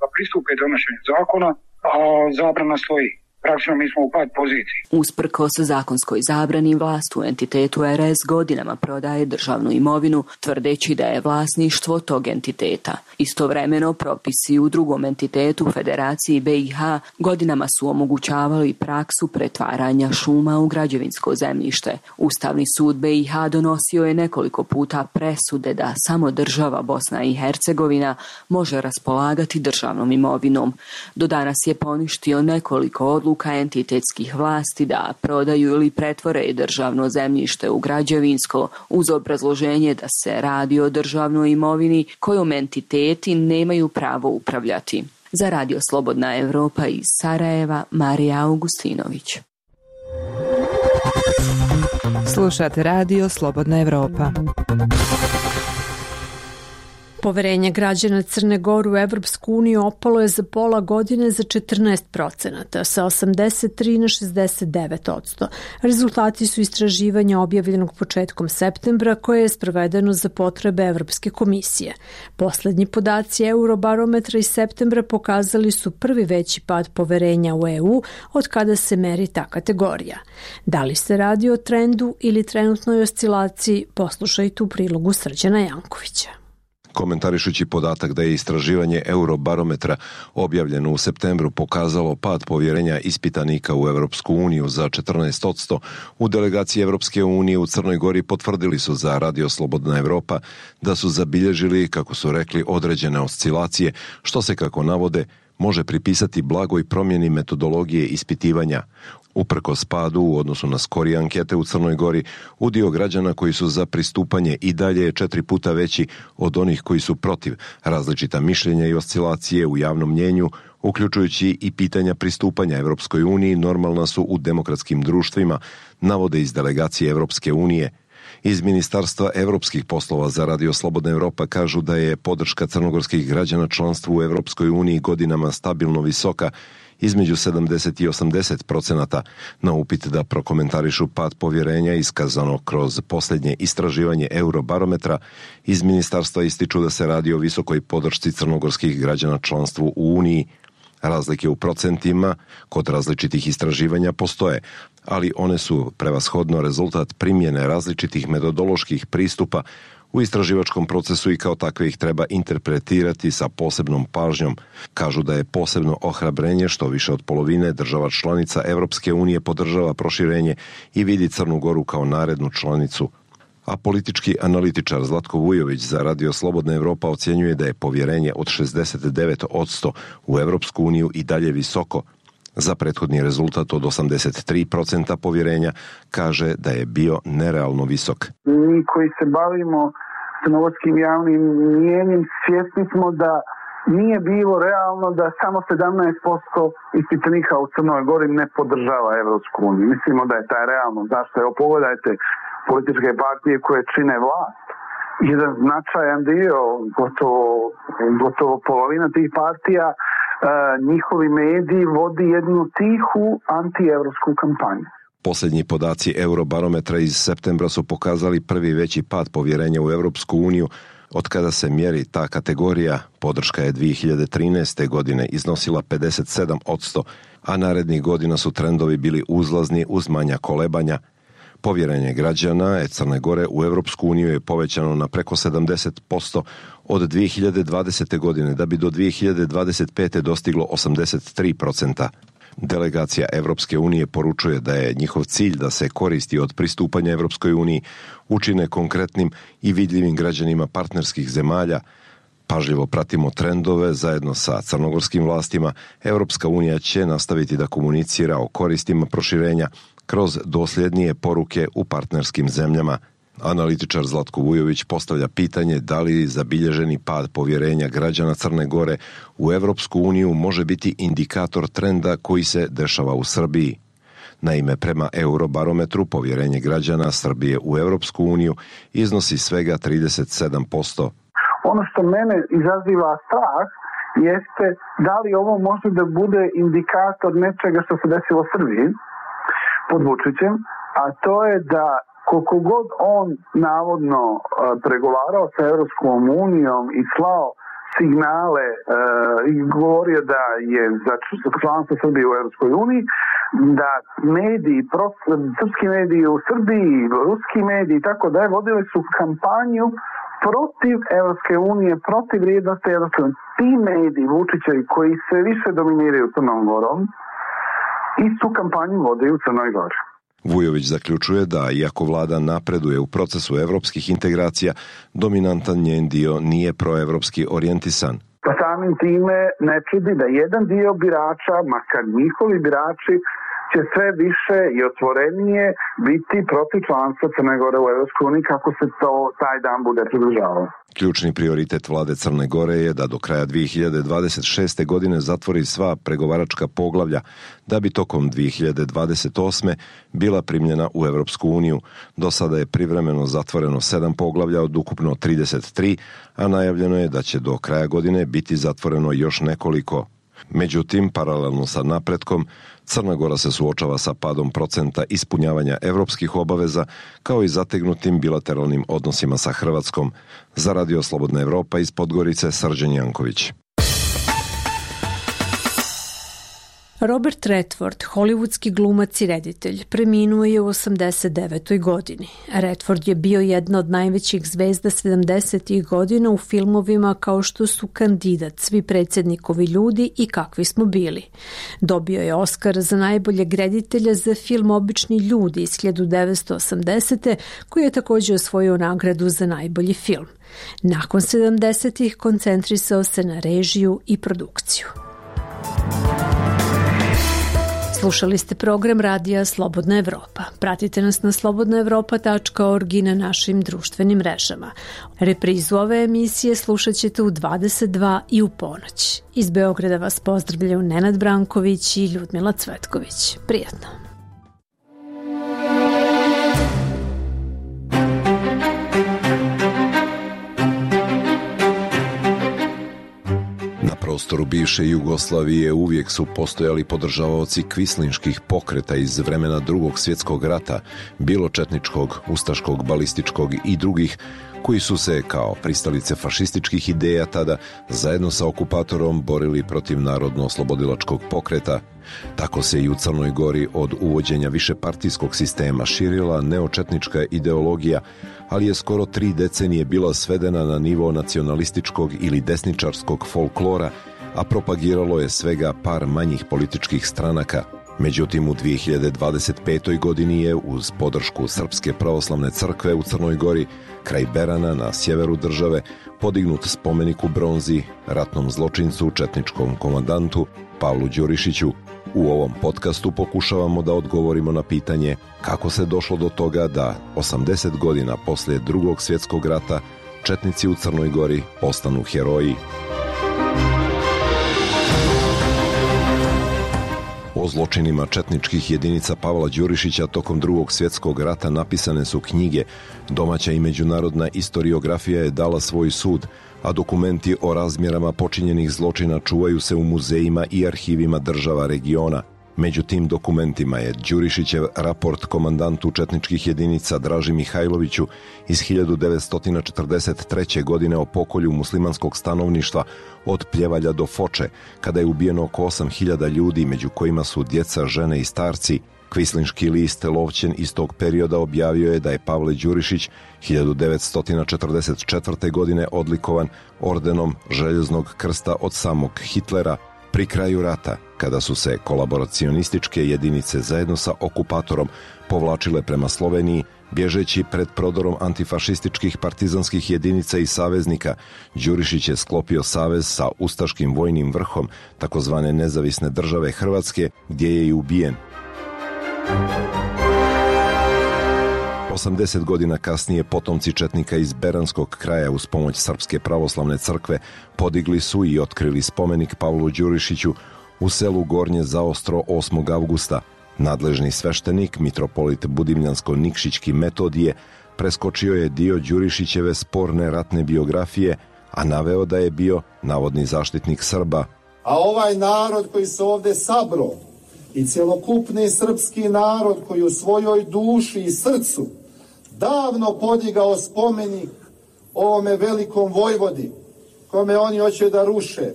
da pristupe donošenju zakona, a zabrana stoji. Praktično mi smo u pad poziciji. Usprkos zakonskoj zabrani, vlast u entitetu RS godinama prodaje državnu imovinu, tvrdeći da je vlasništvo tog entiteta. Istovremeno, propisi u drugom entitetu Federaciji BiH godinama su omogućavali praksu pretvaranja šuma u građevinsko zemljište. Ustavni sud BiH donosio je nekoliko puta presude da samo država Bosna i Hercegovina može raspolagati državnom imovinom. Do danas je poništio nekoliko odluka entitetskih vlasti da prodaju ili pretvore državno zemljište u građevinsko uz obrazloženje da se radi o državnoj imovini kojom entiteti nemaju pravo upravljati. Za Radio Slobodna Evropa iz Sarajeva, Marija Augustinović. Slušate Radio Slobodna Evropa. Poverenje građana Crne Gore u Evropsku uniju opalo je za pola godine za 14%, sa 83 na 69%. Rezultati su istraživanja objavljenog početkom septembra koje je sprovedeno za potrebe Evropske komisije. Poslednji podaci Eurobarometra iz septembra pokazali su prvi veći pad poverenja u EU od kada se meri ta kategorija. Da li se radi o trendu ili trenutnoj oscilaciji, poslušajte u prilogu Srđana Jankovića. Komentarišući podatak da je istraživanje Eurobarometra objavljeno u septembru pokazalo pad povjerenja ispitanika u Europsku uniju za 14%, u delegaciji Europske unije u Crnoj Gori potvrdili su za Radio Slobodna Evropa da su zabilježili, kako su rekli, određene oscilacije, što se, kako navode, može pripisati blagoj promjeni metodologije ispitivanja. Uprkos padu u odnosu na skorije ankete u Crnoj Gori, udio građana koji su za pristupanje i dalje je 4 puta veći od onih koji su protiv. Različita mišljenja i oscilacije u javnom mnjenju, uključujući i pitanja pristupanja Europskoj uniji, normalna su u demokratskim društvima, navode iz delegacije Europske unije. Iz Ministarstva evropskih poslova za Radio Slobodna Evropa kažu da je podrška crnogorskih građana članstvu u Europskoj uniji godinama stabilno visoka, između 70 i 80%, na upit da prokomentarišu pad povjerenja iskazano kroz posljednje istraživanje Eurobarometra, iz ministarstva ističu da se radi o visokoj podršci crnogorskih građana članstvu u Uniji. Razlike u procentima kod različitih istraživanja postoje, ali one su prevashodno rezultat primjene različitih metodoloških pristupa u istraživačkom procesu i kao takve ih treba interpretirati sa posebnom pažnjom. Kažu da je posebno ohrabrenje što više od polovine država članica Europske unije podržava proširenje i vidi Crnu Goru kao narednu članicu. A politički analitičar Zlatko Vujović za Radio Slobodna Evropa ocjenjuje da je povjerenje od 69% u Europsku uniju i dalje visoko. Za prethodni rezultat od 83% povjerenja kaže da je bio nerealno visok. Mi koji se bavimo crnogorskim javnim mnijenjem svjesni smo da nije bilo realno da samo 17% ispitanika u Crnoj Gori ne podržava Evropsku uniju. Mislimo da je taj realno. Zašto? Evo pogledajte političke partije koje čine vlast. Jedan značajan dio, gotovo polovina tih partija, njihovi mediji vodi jednu tihu antievropsku kampanju. Posljednji podaci Eurobarometra iz septembra su pokazali prvi veći pad povjerenja u Europsku uniju od kada se mjeri ta kategorija. Podrška je 2013. godine iznosila 57%, a narednih godina su trendovi bili uzlazni uz manja kolebanja. Povjerenje građana Crne Gore u Europsku uniju je povećano na preko 70% od 2020. godine, da bi do 2025. dostiglo 83%. Delegacija Europske unije poručuje da je njihov cilj da se koristi od pristupanja Europskoj uniji učine konkretnim i vidljivim građanima partnerskih zemalja. Pažljivo pratimo trendove zajedno sa crnogorskim vlastima. Europska unija će nastaviti da komunicira o koristima proširenja kroz dosljednije poruke u partnerskim zemljama. Analitičar Zlatko Vujović postavlja pitanje da li zabilježeni pad povjerenja građana Crne Gore u Europsku uniju može biti indikator trenda koji se dešava u Srbiji. Naime, prema Eurobarometru povjerenje građana Srbije u Europsku uniju iznosi svega 37%. Ono što mene izaziva strah jeste da li ovo može da bude indikator nečega što se desilo u Srbiji pod Vučićem, a to je da koliko god on navodno pregovarao sa Europskom unijom i slao signale i govorio da je za članstvo Srbije u Europskoj uniji, da mediji, srpski mediji u Srbiji, ruski mediji i tako da vodili su kampanju protiv Europske unije, protiv vrijednosti Europske unije. Ti mediji Vučićevi koji sve više dominiraju Crnom Gorom, istu kampanju vode u Crnoj Gori. Vujović zaključuje da, iako vlada napreduje u procesu evropskih integracija, dominantan njen dio nije proevropski orijentisan. Pa samim time ne čudi da jedan dio birača, makar njihovi birači, će sve više i otvorenije biti protiv članstva Crne Gore u Evropskoj uniji kako se to taj dan bude približavao. Ključni prioritet vlade Crne Gore je da do kraja 2026. godine zatvori sva pregovaračka poglavlja, da bi tokom 2028. bila primljena u Evropsku uniju. Do sada je privremeno zatvoreno 7 poglavlja od ukupno 33, a najavljeno je da će do kraja godine biti zatvoreno još nekoliko. Međutim, paralelno sa napretkom, Crna Gora se suočava sa padom procenta ispunjavanja evropskih obaveza, kao i zategnutim bilateralnim odnosima sa Hrvatskom. Za Radio Slobodna Evropa iz Podgorice, Srđan Janković. Robert Redford, hollywoodski glumac i reditelj, preminuo je u 89. godini. Redford je bio jedna od najvećih zvezda 70. godina u filmovima kao što su Kandidat, Svi predsjednikovi ljudi i Kakvi smo bili. Dobio je Oskar za najboljeg reditelja za film Obični ljudi iz 1980. koji je također osvojio nagradu za najbolji film. Nakon 70-ih koncentrisao se na režiju i produkciju. Slušali ste program radija Slobodna Evropa. Pratite nas na slobodnaevropa.org i na našim društvenim mrežama. Reprizu ove emisije slušat ćete u 22 i u ponoć. Iz Beograda vas pozdravljaju Nenad Branković i Ljudmila Cvetković. Prijatno. Na prostoru bivše Jugoslavije uvijek su postojali podržavaoci kvislinških pokreta iz vremena Drugog svjetskog rata, bilo četničkog, ustaškog, balističkog i drugih, koji su se, kao pristalice fašističkih ideja tada, zajedno sa okupatorom borili protiv narodno-oslobodilačkog pokreta. Tako se i u Crnoj Gori od uvođenja višepartijskog sistema širila neočetnička ideologija, ali je skoro 3 decenije bila svedena na nivo nacionalističkog ili desničarskog folklora, a propagiralo je svega par manjih političkih stranaka. Međutim, u 2025. godini je uz podršku Srpske pravoslavne crkve u Crnoj Gori, kraj Berana na sjeveru države, podignut spomenik u bronzi ratnom zločincu, četničkom komandantu Pavlu Đurišiću. U ovom podcastu pokušavamo da odgovorimo na pitanje kako se došlo do toga da 80 godina poslije Drugog svjetskog rata četnici u Crnoj Gori postanu heroji. O zločinima četničkih jedinica Pavla Đurišića tokom Drugog svjetskog rata napisane su knjige, domaća i međunarodna istoriografija je dala svoj sud, a dokumenti o razmjerama počinjenih zločina čuvaju se u muzejima i arhivima država regiona. Među tim dokumentima je Đurišićev raport komandantu četničkih jedinica Draži Mihajloviću iz 1943. godine o pokolju muslimanskog stanovništva od Pljevalja do Foče, kada je ubijeno oko 8.000 ljudi, među kojima su djeca, žene i starci. Kvislinški list Lovćen iz tog perioda objavio je da je Pavle Đurišić 1944. godine odlikovan ordenom Željeznog krsta od samog Hitlera. Pri kraju rata, kada su se kolaboracionističke jedinice zajedno sa okupatorom povlačile prema Sloveniji, bježeći pred prodorom antifašističkih partizanskih jedinica i saveznika, Đurišić je sklopio savez sa ustaškim vojnim vrhom takozvane nezavisne države Hrvatske, gdje je i ubijen. 80 godina kasnije potomci četnika iz Beranskog kraja uz pomoć Srpske pravoslavne crkve podigli su i otkrili spomenik Pavlu Đurišiću u selu Gornje Zaostro 8. avgusta. Nadležni sveštenik, mitropolit Budimljansko-Nikšićki Metodije, preskočio je dio Đurišićeve sporne ratne biografije, a naveo da je bio navodni zaštitnik Srba. A ovaj narod koji se ovde sabro i cjelokupni srpski narod koji u svojoj duši i srcu davno podigao spomenik ovome velikom vojvodi, kome oni hoće da ruše,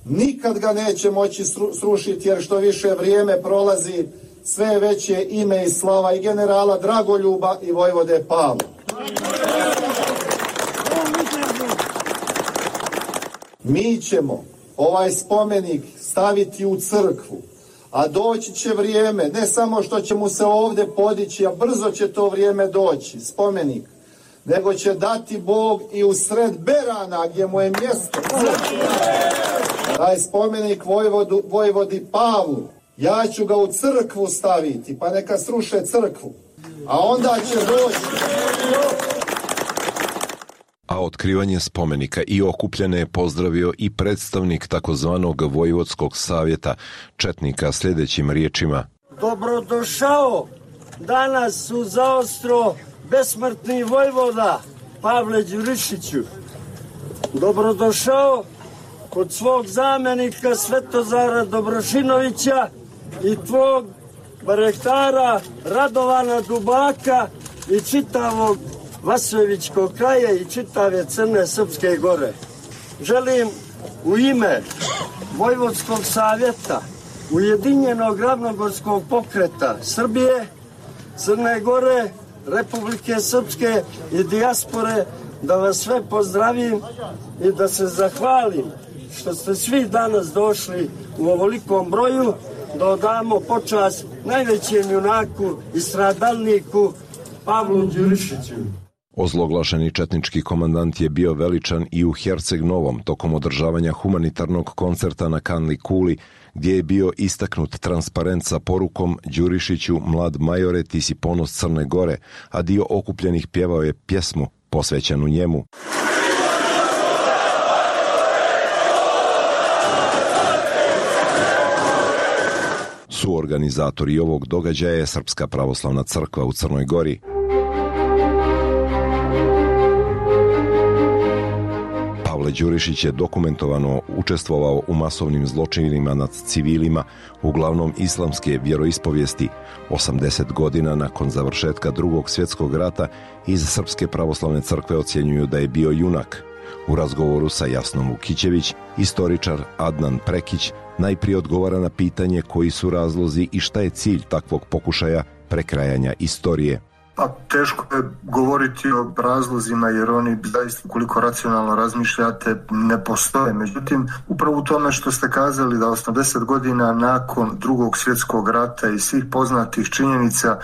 nikad ga neće moći srušiti, jer što više vrijeme prolazi, sve veće ime i slava i generala Dragoljuba i vojvode Pavla. Mi ćemo ovaj spomenik staviti u crkvu, a doći će vrijeme, ne samo što će mu se ovdje podići, a brzo će to vrijeme doći, spomenik, nego će dati Bog i u sred Berana, gdje mu je mjesto. Taj spomenik vojvodi Pavlu, ja ću ga u crkvu staviti, pa neka sruše crkvu, a onda će doći. A otkrivanje spomenika i okupljene je pozdravio i predstavnik takozvanog Vojvodskog savjeta četnika sljedećim riječima. Dobrodošao danas u Zaostro besmrtni vojvoda Pavle Đurišiću. Dobrodošao kod svog zamjenika Svetozara Dobrošinovića i tvog barektara Radovana Dubaka i čitavog Vasojevičkog kraja i čitave Crne Srpske gore. Želim u ime Vojvodskog savjeta Ujedinjenog ravnogorskog pokreta Srbije, Crne Gore, Republike Srpske i dijaspore, da vas sve pozdravim i da se zahvalim što ste svi danas došli u ovolikom broju, da odamo počast najvećem junaku i stradalniku Pavlu Đurišiću. Ozloglašeni četnički komandant je bio veličan i u Herceg Novom tokom održavanja humanitarnog koncerta na Kanli Kuli, gdje je bio istaknut transparent sa porukom Đurišiću, mlad majore, ti si ponos Crne Gore, a dio okupljenih pjevao je pjesmu posvećenu njemu. Suorganizatori ovog događaja je Srpska pravoslavna crkva u Crnoj Gori. Pavle Đurišić je dokumentovano učestvovao u masovnim zločinima nad civilima, uglavnom islamske vjeroispovijesti. 80 godina nakon završetka Drugog svjetskog rata iz Srpske pravoslavne crkve ocjenjuju da je bio junak. U razgovoru sa Jasnom Vukićević, istoričar Adnan Prekić najprije odgovara na pitanje koji su razlozi i šta je cilj takvog pokušaja prekrajanja istorije. Pa teško je govoriti o razlozima jer oni zaista koliko racionalno razmišljate ne postoje. Međutim, upravo u tome što ste kazali da 80 godina nakon Drugog svjetskog rata i svih poznatih činjenica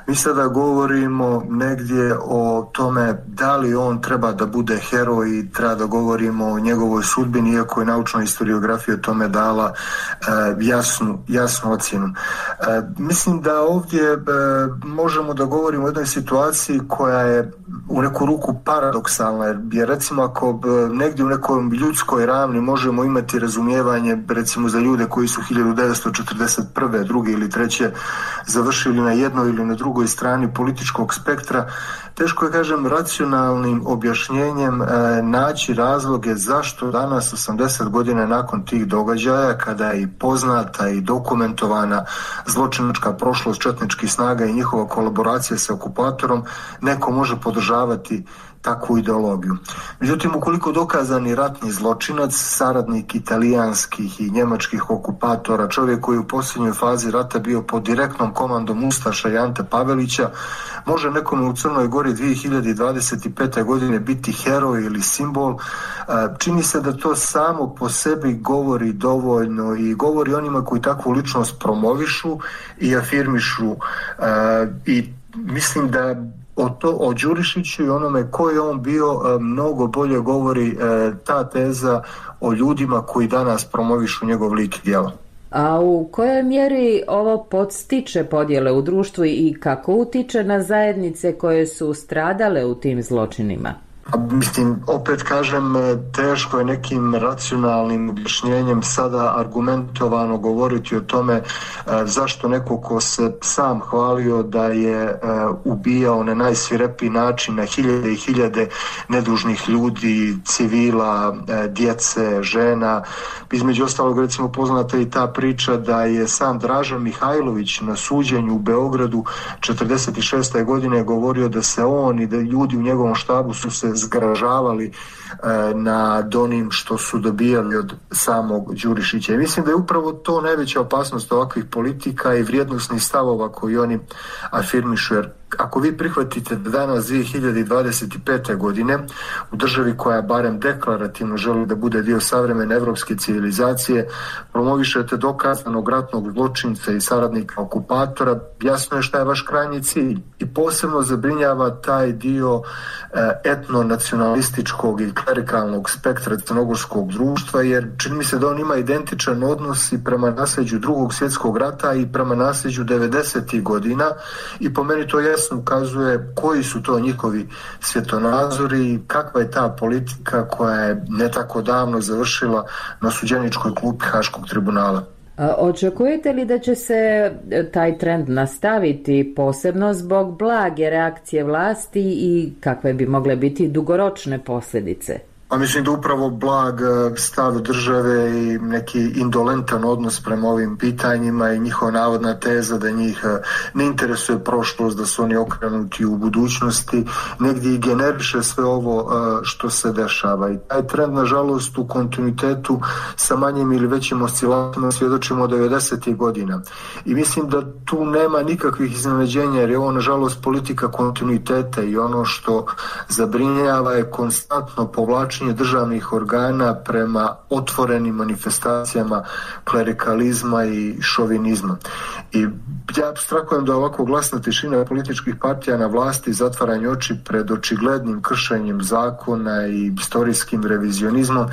mi sada govorimo negdje o tome da li on treba da bude heroj i treba da govorimo o njegovoj sudbini, iako je naučna historiografija tome dala jasnu ocjenu. Mislim da ovdje možemo da govorimo o jednoj situaciji koja je u neku ruku paradoksalna, jer recimo ako negdje u nekoj ljudskoj ravni možemo imati razumijevanje recimo za ljude koji su 1941. druge ili treće završili na jednoj ili na drugoj strani političkog spektra, teško je, kažem, racionalnim objašnjenjem naći razloge zašto danas 80 godina nakon tih događaja, kada je i poznata i dokumentovana zločinačka prošlost četničkih snaga i njihova kolaboracija sa okupatorom, neko može podržavati takvu ideologiju. Međutim, ukoliko dokazani ratni zločinac, saradnik italijanskih i njemačkih okupatora, čovjek koji je u posljednjoj fazi rata bio pod direktnom komandom ustaša i Ante Pavelića, može nekom u Crnoj Gori 2025. godine biti heroj ili simbol, čini se da to samo po sebi govori dovoljno i govori onima koji takvu ličnost promovišu i afirmišu i mislim da o Đurišiću i onome ko je on bio mnogo bolje govori ta teza o ljudima koji danas promovišu njegov lik i djelo. A u kojoj mjeri ovo podstiče podjele u društvu i kako utiče na zajednice koje su stradale u tim zločinima? Mislim, opet kažem, teško je nekim racionalnim objašnjenjem sada argumentovano govoriti o tome zašto neko ko se sam hvalio da je ubijao na najsvirepiji način na hiljade i hiljade nedužnih ljudi, civila, djece, žena. Između ostalog, recimo, poznata i ta priča da je sam Dražan Mihajlović na suđenju u Beogradu 1946. godine govorio da se on i da ljudi u njegovom štabu su se zgražavali nad onim što su dobijali od samog Đurišića. I mislim da je upravo to najveća opasnost ovakvih politika i vrijednosnih stavova koji oni afirmišu. Jer ako vi prihvatite da danas 2025. godine u državi koja barem deklarativno želi da bude dio savremene evropske civilizacije promovišete dokazanog ratnog zločinca i saradnika okupatora, jasno je šta je vaš krajnji cilj. I posebno zabrinjava taj dio etnonacionalističkog i klerikalnog spektra crnogorskog društva, jer čini mi se da on ima identičan odnos i prema nasljeđu Drugog svjetskog rata i prema nasljeđu 90. godina i po meni to jasno ukazuje koji su to njihovi svjetonazori i kakva je ta politika koja je ne tako davno završila na suđeničkoj klupi Haškog tribunala. Očekujete li da će se taj trend nastaviti, posebno zbog blage reakcije vlasti i kakve bi mogle biti dugoročne posljedice? A mislim da upravo blag stav države i neki indolentan odnos prema ovim pitanjima i njihova navodna teza da njih ne interesuje prošlost, da su oni okrenuti u budućnosti, negdje i generiše sve ovo što se dešava. I taj trend, nažalost, u kontinuitetu sa manjim ili većim oscilacijama svjedočimo od 90. godina. I mislim da tu nema nikakvih iznenađenja, jer je ovo, nažalost, politika kontinuiteta i ono što zabrinjava je konstantno povlačenje državnih organa prema otvorenim manifestacijama klerikalizma i šovinizma. I ja apstrahujem da ovako glasna tišina političkih partija na vlasti, zatvaranje oči pred očiglednim kršenjem zakona i istorijskim revizionizmom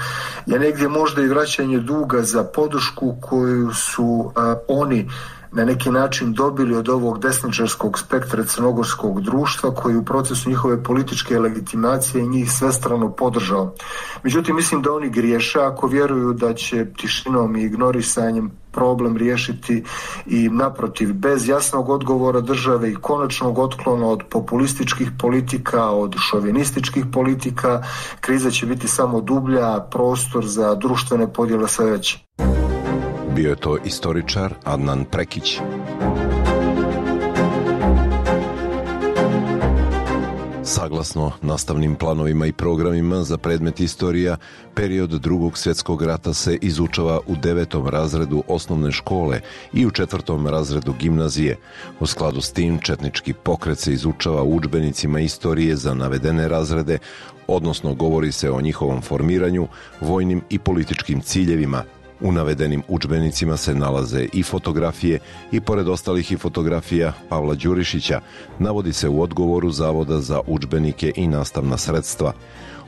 je negdje možda i vraćanje duga za podršku koju su oni na neki način dobili od ovog desničarskog spektra crnogorskog društva koji u procesu njihove političke legitimacije njih svestrano podržao. Međutim, mislim da oni griješe ako vjeruju da će tišinom i ignorisanjem problem riješiti i naprotiv, bez jasnog odgovora države i konačnog otklona od populističkih politika, od šovinističkih politika, kriza će biti samo dublja, a prostor za društvene podjele sve veći. Bio je to istoričar Adnan Prekić. Saglasno nastavnim planovima i programima za predmet istorija, period Drugog svjetskog rata se izučava u 9. razredu osnovne škole i u 4. razredu gimnazije. U skladu s tim, četnički pokret se izučava u udžbenicima istorije za navedene razrede, odnosno govori se o njihovom formiranju, vojnim i političkim ciljevima. U navedenim udžbenicima se nalaze i fotografije i pored ostalih i fotografija Pavla Đurišića, navodi se u odgovoru Zavoda za udžbenike i nastavna sredstva.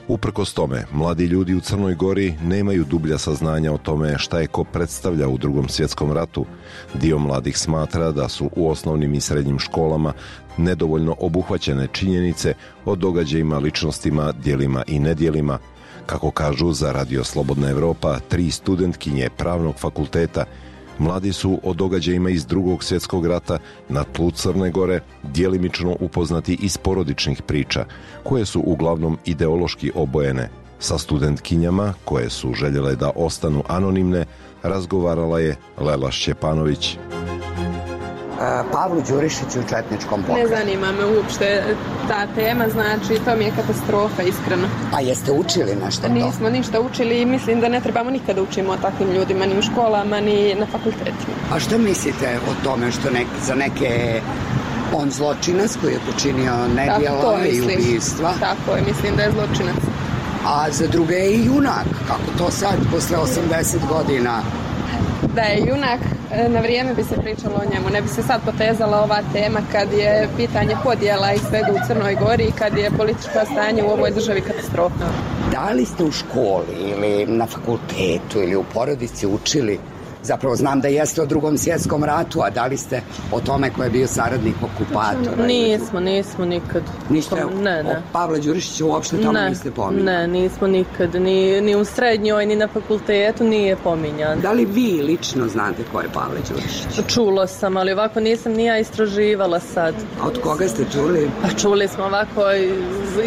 Uprkos tome, mladi ljudi u Crnoj Gori nemaju dublja saznanja o tome šta je ko predstavlja u Drugom svjetskom ratu. Dio mladih smatra da su u osnovnim i srednjim školama nedovoljno obuhvaćene činjenice o događajima, ličnostima, djelima i nedjelima. Kako kažu za Radio Slobodna Evropa, 3 studentkinje Pravnog fakulteta, mladi su o događajima iz Drugog svjetskog rata na tlu Crne Gore djelimično upoznati iz porodičnih priča, koje su uglavnom ideološki obojene. Sa studentkinjama, koje su željele da ostanu anonimne, razgovarala je Lela Šćepanović. Pavlu Đurišiću u četničkom pokretu. Ne zanima me uopšte ta tema, znači to mi je katastrofa, iskreno. A jeste učili nešto to? Nismo ništa učili i mislim da ne trebamo nikada učimo o takvim ljudima, ni u školama, ni na fakultetima. A što mislite o tome što za neke on zločinac koji je počinio nedjela i ubistva? Tako je, mislim da je zločinac. A za druge je i junak, kako to sad, posle 80 godina? Da je junak, na vrijeme bi se pričalo o njemu. Ne bi se sad potezala ova tema kad je pitanje podjela i svega u Crnoj Gori i kad je političko stanje u ovoj državi katastrofa. Da li ste u školi ili na fakultetu ili u porodici učili, zapravo znam da jeste o Drugom svjetskom ratu, a da li ste o tome ko je bio saradnik okupatora? Nismo nikad. Niste o Pavla Đurišića uopšte tamo niste pominjali? Ne, nismo nikad, ni u srednjoj, ni na fakultetu nije pominjan. Da li vi lično znate ko je Pavle Đurišić? Čulo sam, ali ovako nisam ni ja istraživala sad. A od koga ste čuli? Pa čuli smo ovako,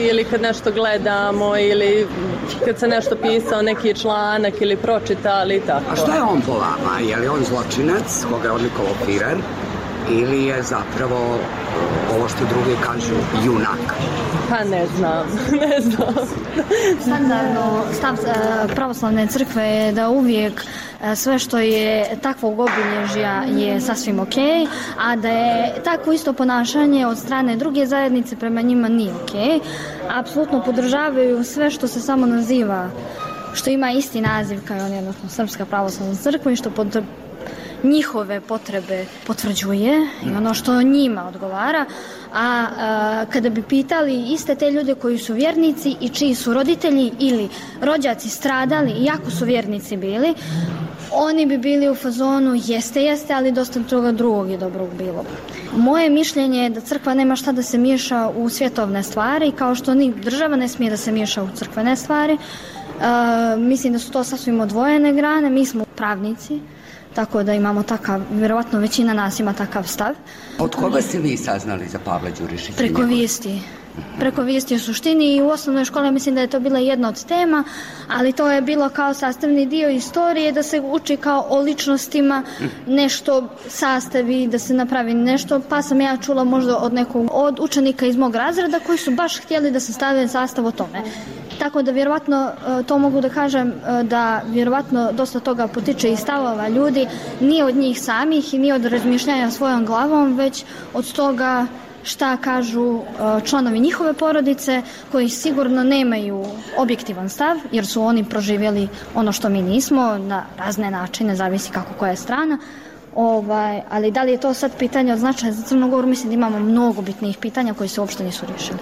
ili kad nešto gledamo, ili kad se nešto pisao, neki članak ili pročitali i tako. A šta je on po vama? Je li on zločinac, koga je odlikovao Firer, ili je zapravo ovo što drugi kažu junak? Pa ne znam. Standardno stav pravoslavne crkve je da uvijek sve što je takvog obilježja je sasvim ok, a da je takvo isto ponašanje od strane druge zajednice prema njima nije ok. Apsolutno podržavaju sve što se samo naziva, što ima isti naziv kao on, odnosno Srpska pravoslavna crkva, i što njihove potrebe potvrđuje i ono što njima odgovara. A kada bi pitali iste te ljude koji su vjernici i čiji su roditelji ili rođaci stradali, iako su vjernici bili, oni bi bili u fazonu jeste, ali dosta toga drugog i dobrog bilo. Moje mišljenje je da crkva nema šta da se miješa u svjetovne stvari, kao što ni država ne smije da se miješa u crkvene stvari. Mislim da su to sasvim odvojene grane, mi smo pravnici, tako da imamo takav, vjerovatno većina nas ima takav stav. Od koga ste vi saznali za Pavla Đurišića? Preko vijesti. preko vijesti o suštini i u osnovnoj školi mislim da je to bila jedna od tema, ali to je bilo kao sastavni dio istorije, da se uči kao o ličnostima, nešto sastavi, da se napravi nešto, pa sam ja čula možda od učenika iz mog razreda koji su baš htjeli da se stave sastav o tome. Tako da vjerovatno to mogu da kažem da vjerovatno dosta toga potiče iz stavova ljudi, nije od njih samih i nije od razmišljanja svojom glavom, već od toga šta kažu članovi njihove porodice koji sigurno nemaju objektivan stav jer su oni proživjeli ono što mi nismo na razne načine, zavisi kako koja je strana. Ali da li je to sad pitanje od značaja za Crnu Goru, mislim da imamo mnogo bitnijih pitanja koji se uopšte nisu riješili.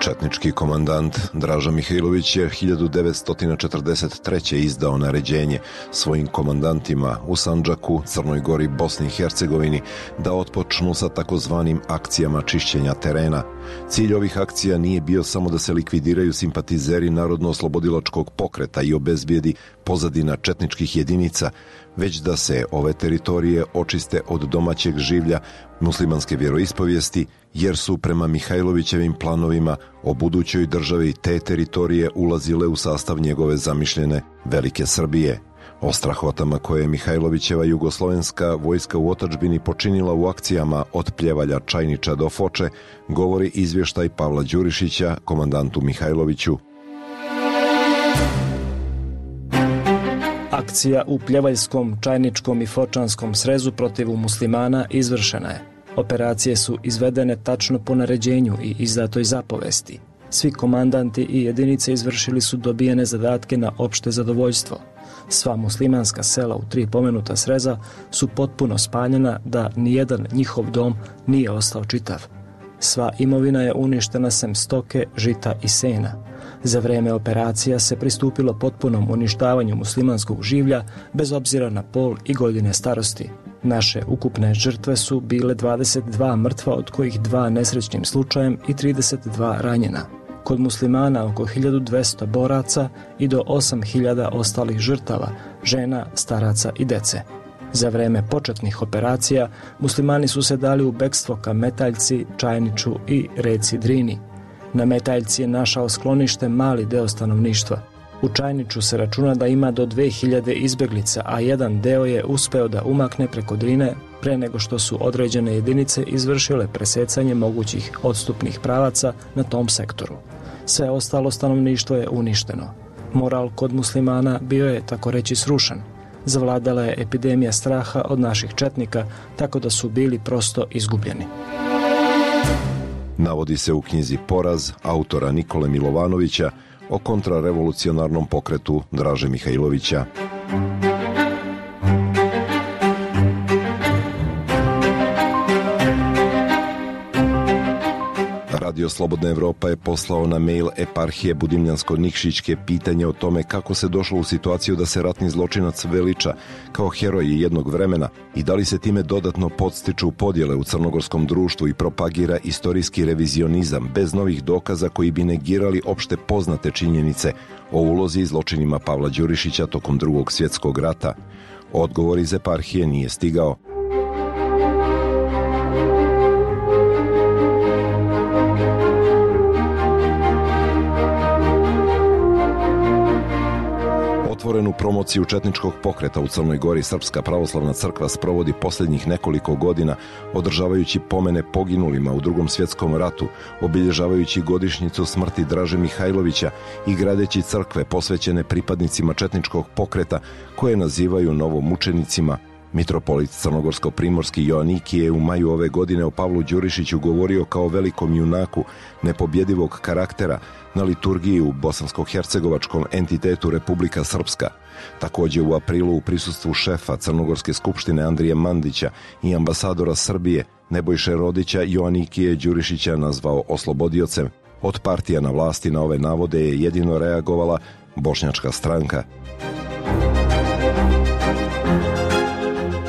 Četnički komandant Draža Mihajlović je 1943. izdao naređenje svojim komandantima u Sandžaku, Crnoj Gori, Bosni i Hercegovini da otpočnu sa takozvanim akcijama čišćenja terena. Cilj ovih akcija nije bio samo da se likvidiraju simpatizeri Narodno-oslobodilačkog pokreta i obezbijedi pozadina četničkih jedinica, već da se ove teritorije očiste od domaćeg življa muslimanske vjeroispovijesti, jer su prema Mihajlovićevim planovima o budućoj državi te teritorije ulazile u sastav njegove zamišljene Velike Srbije. O strahotama koje je Mihajlovićeva jugoslovenska vojska u otadžbini počinila u akcijama od Pljevalja, Čajniča do Foče govori izvještaj Pavla Đurišića, komandantu Mihajloviću. Akcija u Pljevaljskom, Čajničkom i Fočanskom srezu protiv muslimana izvršena je. Operacije su izvedene tačno po naređenju i izdatoj zapovesti. Svi komandanti i jedinice izvršili su dobijene zadatke na opšte zadovoljstvo. Sva muslimanska sela u 3 pomenuta sreza su potpuno spaljena da nijedan njihov dom nije ostao čitav. Sva imovina je uništena sem stoke, žita i sena. Za vreme operacija se pristupilo potpunom uništavanju muslimanskog življa bez obzira na pol i godine starosti. Naše ukupne žrtve su bile 22 mrtva, od kojih 2 nesrećnim slučajem i 32 ranjena. Kod muslimana oko 1200 boraca i do 8000 ostalih žrtava, žena, staraca i dece. Za vreme početnih operacija muslimani su se dali u bekstvo ka Metaljci, Čajniču i reci Drini. Na Metaljci je našao sklonište mali deo stanovništva. U Čajniču se računa da ima do 2000 izbeglica, a jedan deo je uspeo da umakne preko Drine pre nego što su određene jedinice izvršile presecanje mogućih odstupnih pravaca na tom sektoru. Sve ostalo stanovništvo je uništeno. Moral kod muslimana bio je, tako reći, srušen. Zavladala je epidemija straha od naših četnika, tako da su bili prosto izgubljeni. Navodi se u knjizi Poraz autora Nikole Milovanovića o kontrarevolucionarnom pokretu Draže Mihajlovića. Radio Slobodna Evropa je poslao na mail eparhije Budimljansko-Nikšićke pitanje o tome kako se došlo u situaciju da se ratni zločinac veliča kao heroj jednog vremena i da li se time dodatno podstiču podjele u crnogorskom društvu i propagira istorijski revizionizam bez novih dokaza koji bi negirali opšte poznate činjenice o ulozi i zločinima Pavla Đurišića tokom Drugog svjetskog rata. Odgovor iz eparhije nije stigao. Otvorenu promociju četničkog pokreta u Crnoj Gori Srpska pravoslavna crkva sprovodi posljednjih nekoliko godina, održavajući pomene poginulima u Drugom svjetskom ratu, obilježavajući godišnjicu smrti Draže Mihajlovića i gradeći crkve posvećene pripadnicima četničkog pokreta koje nazivaju novomučenicima. Mitropolit crnogorsko-primorski Joanikije je u maju ove godine o Pavlu Đurišiću govorio kao velikom junaku nepobjedivog karaktera na liturgiji u bosansko-hercegovačkom entitetu Republika Srpska. Također u aprilu u prisustvu šefa Crnogorske skupštine Andrije Mandića i ambasadora Srbije Nebojše Rodića Joanikije Đurišića nazvao oslobodiocem. Od partija na vlasti na ove navode je jedino reagovala Bošnjačka stranka.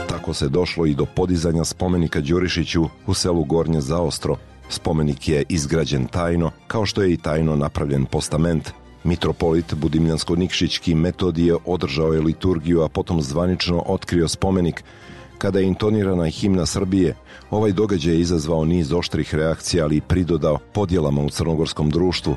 Tako se došlo i do podizanja spomenika Đurišiću u selu Gornje Zaostro. Spomenik je izgrađen tajno, kao što je i tajno napravljen postament. Mitropolit Budimljansko-Nikšićki Metodije održao je liturgiju, a potom zvanično otkrio spomenik. Kada je intonirana himna Srbije, ovaj događaj je izazvao niz oštrih reakcija, ali i pridodao podjelama u crnogorskom društvu.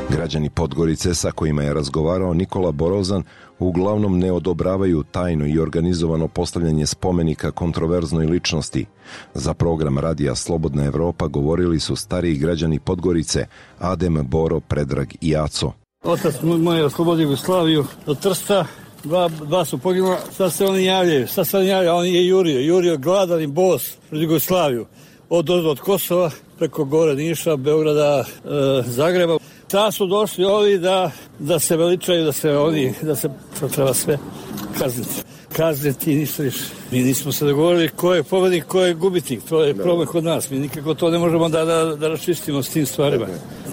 Građani Podgorice sa kojima je razgovarao Nikola Borozan uglavnom ne odobravaju tajno i organizovano postavljanje spomenika kontroverznoj ličnosti. Za program Radija Slobodna Evropa govorili su stariji građani Podgorice Adem, Boro, Predrag i Aco. Otac moj je oslobodio Jugoslaviju od Trsta, dva su poginula, sad se oni javljaju, on je jurio gladan i bos pred Jugoslaviju, od Kosova preko gore Niša, Beograda, Zagreba. Sad su došli ovi da se veličaju, da se treba sve kazniti i ništa više. Mi nismo se dogovorili ko je pobednik, ko je gubitnik, to je problem kod nas. Mi nikako to ne možemo da raščistimo s tim stvarima.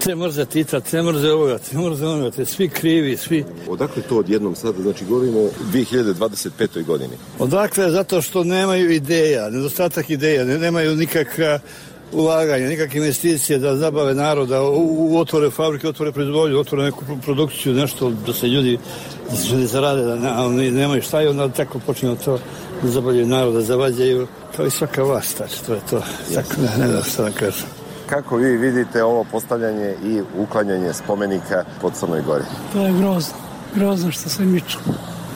Te mrze Tita, te mrze ovoga, te svi krivi, svi. Odakle to odjednom sada, znači govorimo o 2025. godini? Odakle, zato što nemaju ideja, nedostatak ideja, nemaju nikakva ulaganja, nikakve investicije da zabave naroda, otvore fabrike, otvore proizvodnju, otvore neku produkciju, nešto da se ljudi zarade, da nemaju šta i onda tako počinju to da zabavljaju naroda, zavađaju, kao i svaka vlast, to je to. Tako, ne znam šta da kažem. Kako vi vidite ovo postavljanje i uklanjanje spomenika po Crnoj Gori? To je grozno što se miču.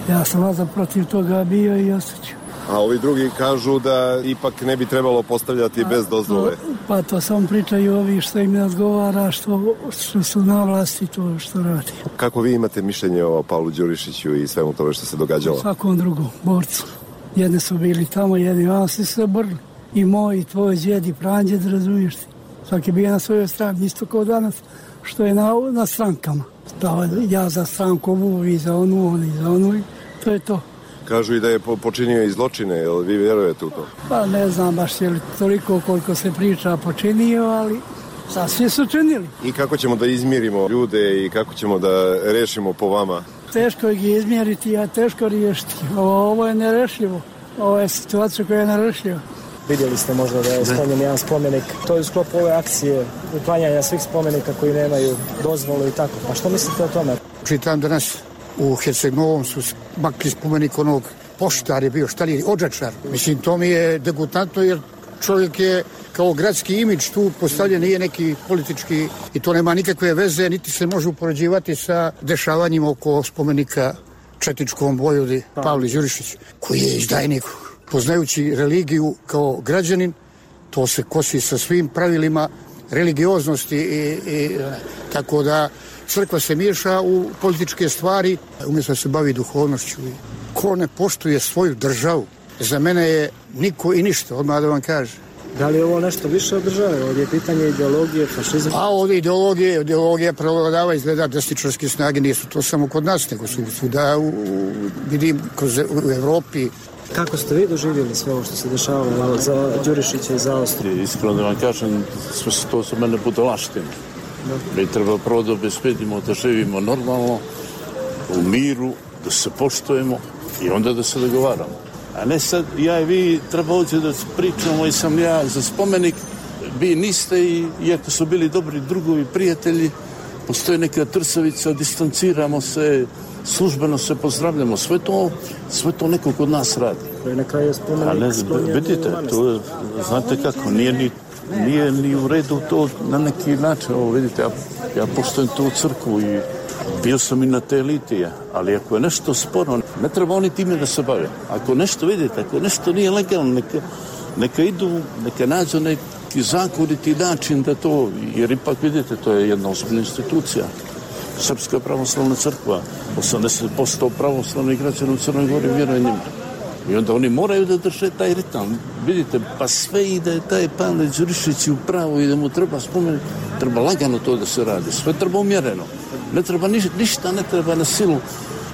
Ja sam vazda protiv toga bio i ostaću. A ovi drugi kažu da ipak ne bi trebalo postavljati bez dozvole. Pa to samo pričaju ovi što im ne odgovara, što su na vlasti, to što radi. Kako vi imate mišljenje o Pavlu Đurišiću i svemu tome što se događalo? Svakom drugom borcu. Jedni su bili tamo, jedni vam se borili. I moj, i tvoj djed, i pranđed, razumiješ ti. Svaki bio na svojoj strani, isto kao danas, što je na strankama. Ja za stranku ovu, i za onu, oni za onu, to je to. Kažu i da je počinio i zločine, jel vi vjerujete u to? Pa ne znam baš je li toliko koliko se priča počinio, ali sasvim su činili. I kako ćemo da izmirimo ljude i kako ćemo da rešimo po vama? Teško ih izmjeriti, a teško riješiti. Ovo je nerešivo. Ovo je situacija koja je nerešiva. Vidjeli ste možda da je sklonjen jedan spomenik. To je u sklopu ove akcije uklanjanja svih spomenika koji nemaju dozvolu i tako. Pa što mislite o tome? Čitam danas u Herceg-Novom su makli spomenik onog poštar je bio, odžačar. Mislim, to mi je degutantno jer čovjek je kao gradski imidž tu postavljen, nije neki politički i to nema nikakve veze, niti se može upoređivati sa dešavanjima oko spomenika četničkom vojvodi Pavli Đurišić, koji je izdajnik. Poznajući religiju kao građanin, to se kosi sa svim pravilima religioznosti i tako da crkva se miješa u političke stvari, umjesto da se bavi duhovnošću. Ko ne poštuje svoju državu, za mene je niko i ništa, odmah da vam kaže. Da li je ovo nešto više od države? Ovdje je pitanje ideologije, fašizma? A ovdje ideologija prevladava, izgleda desničarske snage, nisu to samo kod nas, nego su svuda, vidim, u Evropi. Kako ste vi doživjeli sve ovo što se dešavalo za Đurišića i za Austriju? Iskreno da vam kažem, sve to su mene budalaštine. Mi treba prvo da obezbedimo da živimo normalno, u miru, da se poštujemo i onda da se dogovaramo. A ne sad, ja i vi treba ovdje da pričamo i sam ja za spomenik, vi niste i iako su bili dobri drugovi, prijatelji, postoji neka trsavica, distanciramo se, službeno se pozdravljamo, sve to neko kod nas radi. Na kraju spomenik vidite, to znate kako, nije ni u redu to na neki način, ovo vidite, ja poštujem tu crkvu i bio sam i na te litije, ali ako je nešto sporo, ne treba oni time da se bave. Ako nešto vidite, ako nešto nije legalno, neka idu, neka nađu neki zakoniti način da to, jer ipak vidite, to je jedna ozbiljna institucija. Srpska pravoslavna crkva, 80% pravoslavnih građana u Crnoj Gori vjeruje njima. I onda oni moraju da drže taj ritam. Vidite, pa sve i da je taj Pavle Đurišić u pravu i da mu treba spomenuti, treba lagano to da se radi. Sve treba umjereno. Ne treba ništa, ne treba na silu.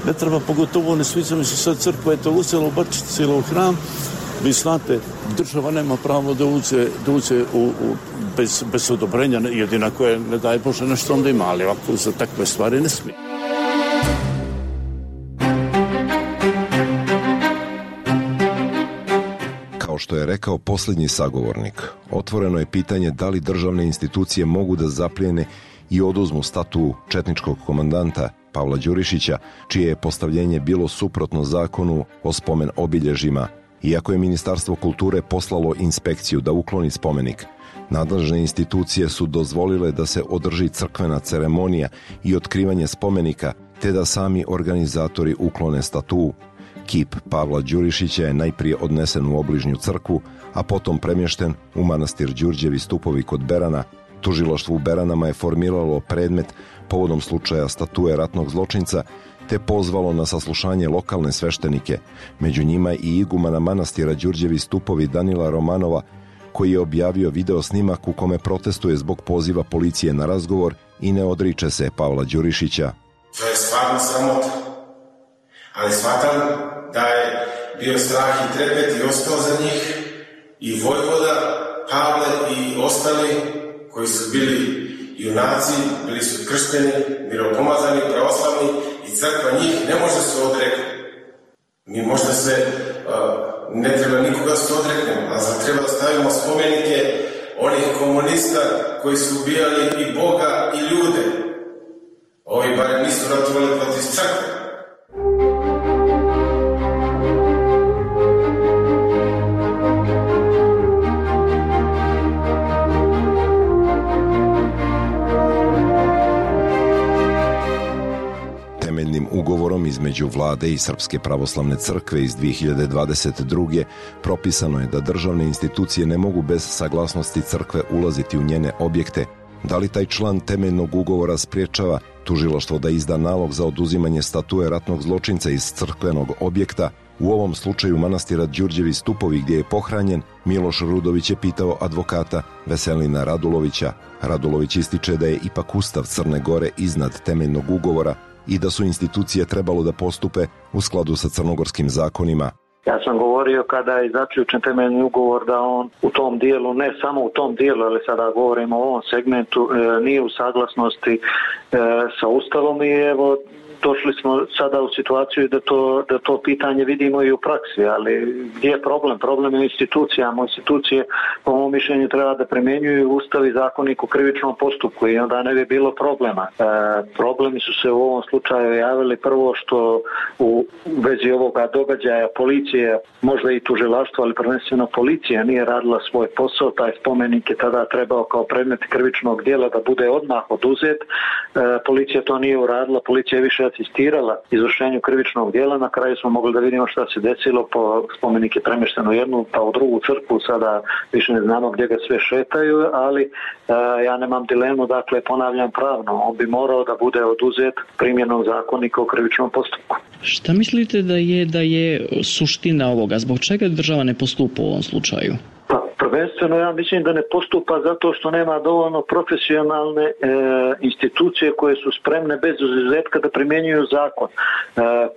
Ne treba, pogotovo ne sviđa mi se sad crkva je to uzela, bačila u hram. Vi znate, država nema pravo da uđe bez odobrenja, jedina koje ne daje Bože nešto onda ima, ali ovako za takve stvari ne smije. Kao što je rekao posljednji sagovornik, otvoreno je pitanje da li državne institucije mogu da zaplijene i oduzmu statu četničkog komandanta Pavla Đurišića, čije je postavljenje bilo suprotno zakonu o spomen obilježjima, iako je Ministarstvo kulture poslalo inspekciju da ukloni spomenik. Nadležne institucije su dozvolile da se održi crkvena ceremonija i otkrivanje spomenika, te da sami organizatori uklone statu. Kip Pavla Đurišića je najprije odnesen u obližnju crkvu, a potom premješten u manastir Đurđevi stupovi kod Berana. Tužilaštvo u Beranama je formiralo predmet povodom slučaja statue ratnog zločinca, te pozvalo na saslušanje lokalne sveštenike, među njima i igumana manastira Đurđevi stupovi Danila Romanova, koji je objavio video snimak u kome protestuje zbog poziva policije na razgovor i ne odriče se Pavla Đurišića. To je stvarno sramota, ali shvatam da je bio strah i trepet i ostao za njih i vojvoda, Pavle i ostali koji su bili junaci, bili su kršteni, miropomazani, pravoslavni i crkva njih ne može se odreknuti. Mi možda se ne treba nikoga se odreknemo, a za treba da stavimo spomenike onih komunista koji su ubijali i Boga i ljude. Ovi barem nisu ratovali protiv crkve. Ugovorom između vlade i Srpske pravoslavne crkve iz 2022. propisano je da državne institucije ne mogu bez saglasnosti crkve ulaziti u njene objekte. Da li taj član temeljnog ugovora spriječava tužilaštvo da izda nalog za oduzimanje statue ratnog zločinca iz crkvenog objekta? U ovom slučaju manastira Đurđevi stupovi gdje je pohranjen, Miloš Rudović je pitao advokata Veselina Radulovića. Radulović ističe da je ipak Ustav Crne Gore iznad temeljnog ugovora i da su institucije trebalo da postupe u skladu sa crnogorskim zakonima. Ja sam govorio kada je zaključen temeljni ugovor da on u tom dijelu, ne samo u tom dijelu, ali sada govorimo o ovom segmentu, nije u saglasnosti sa Ustavom i evo došli smo sada u situaciju da to pitanje vidimo i u praksi, ali gdje je problem? Problem je institucijama. Institucije, po mom mišljenju, treba da primjenjuju Ustav i zakonik o krivičnom postupku i onda ne bi bilo problema. Problemi su se u ovom slučaju javili prvo što u vezi ovoga događaja policije, možda i tužilaštvo, ali prvenstveno policija nije radila svoj posao. Taj spomenik je tada trebao kao predmet krivičnog djela da bude odmah oduzet. Policija to nije uradila, policija je više asistirala izvršenju krivičnog djela. Na kraju smo mogli da vidimo šta se desilo, spomenik je premješten u jednu pa u drugu crkvu, sada više ne znamo gdje ga sve šetaju, ali ja nemam dilemu, dakle ponavljam pravno, on bi morao da bude oduzet primjenom zakonika o krivičnom postupku. Šta mislite da je suština ovoga? Zbog čega država ne postupa u ovom slučaju? Pa prvenstveno ja mislim da ne postupa zato što nema dovoljno profesionalne institucije koje su spremne bez izuzetka da primjenjuju zakon.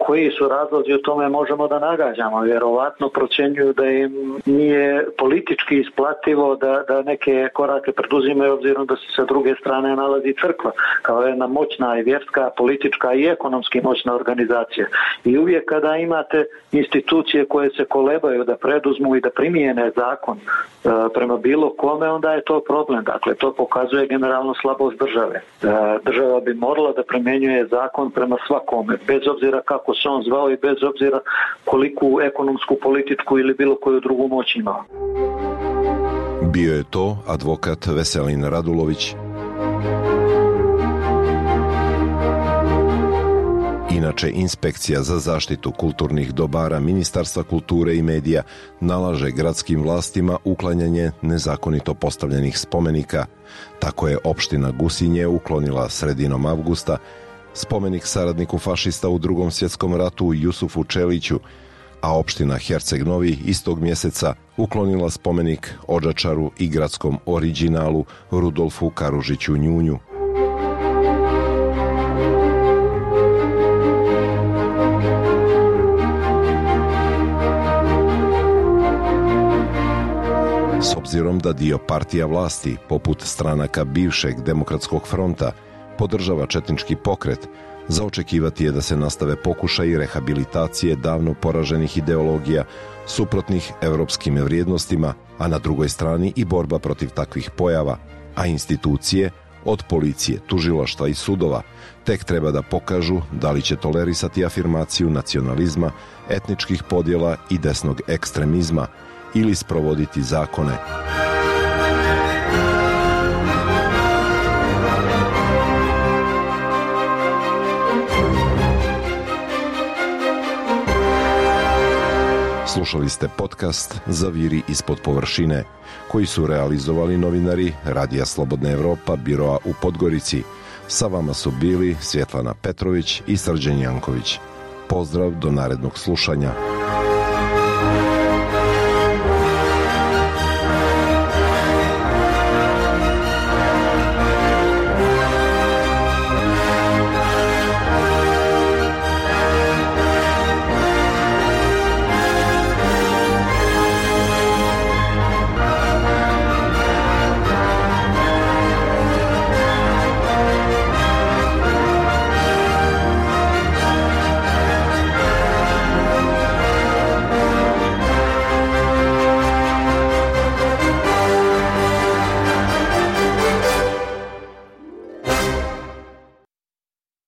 Koji su razlozi o tome možemo da nagađamo. Vjerovatno procjenjuju da im nije politički isplativo da neke korake preduzimaju obzirom da se sa druge strane nalazi crkva kao jedna moćna i vjerska, politička i ekonomski moćna organizacija. I uvijek kada imate institucije koje se kolebaju da preduzmu i da primijene zakon prema bilo kome, onda je to problem. Dakle, to pokazuje generalno slabost države. Država bi morala da primjenjuje zakon prema svakome, bez obzira kako se on zvao i bez obzira koliku ekonomsku, političku ili bilo koju drugu moć imao. Bio je to advokat Veselin Radulović. Inače, Inspekcija za zaštitu kulturnih dobara Ministarstva kulture i medija nalaže gradskim vlastima uklanjanje nezakonito postavljenih spomenika. Tako je opština Gusinje uklonila sredinom avgusta spomenik saradniku fašista u Drugom svjetskom ratu Jusufu Čeliću, a opština Herceg Novi istog mjeseca uklonila spomenik Odžačaru i gradskom originalu Rudolfu Karužiću Njunju. S obzirom da dio partija vlasti, poput stranaka bivšeg Demokratskog fronta, podržava četnički pokret, za očekivati je da se nastave pokušaji rehabilitacije davno poraženih ideologija suprotnih evropskim vrijednostima, a na drugoj strani i borba protiv takvih pojava, a institucije, od policije, tužilaštva i sudova, tek treba da pokažu da li će tolerisati afirmaciju nacionalizma, etničkih podjela i desnog ekstremizma ili sprovoditi zakone. Slušali ste podcast Zaviri ispod površine, koji su realizovali novinari Radija Slobodna Evropa, biroa u Podgorici. Sa vama su bili Svjetlana Petrović i Srđan Janković. Pozdrav do narednog slušanja.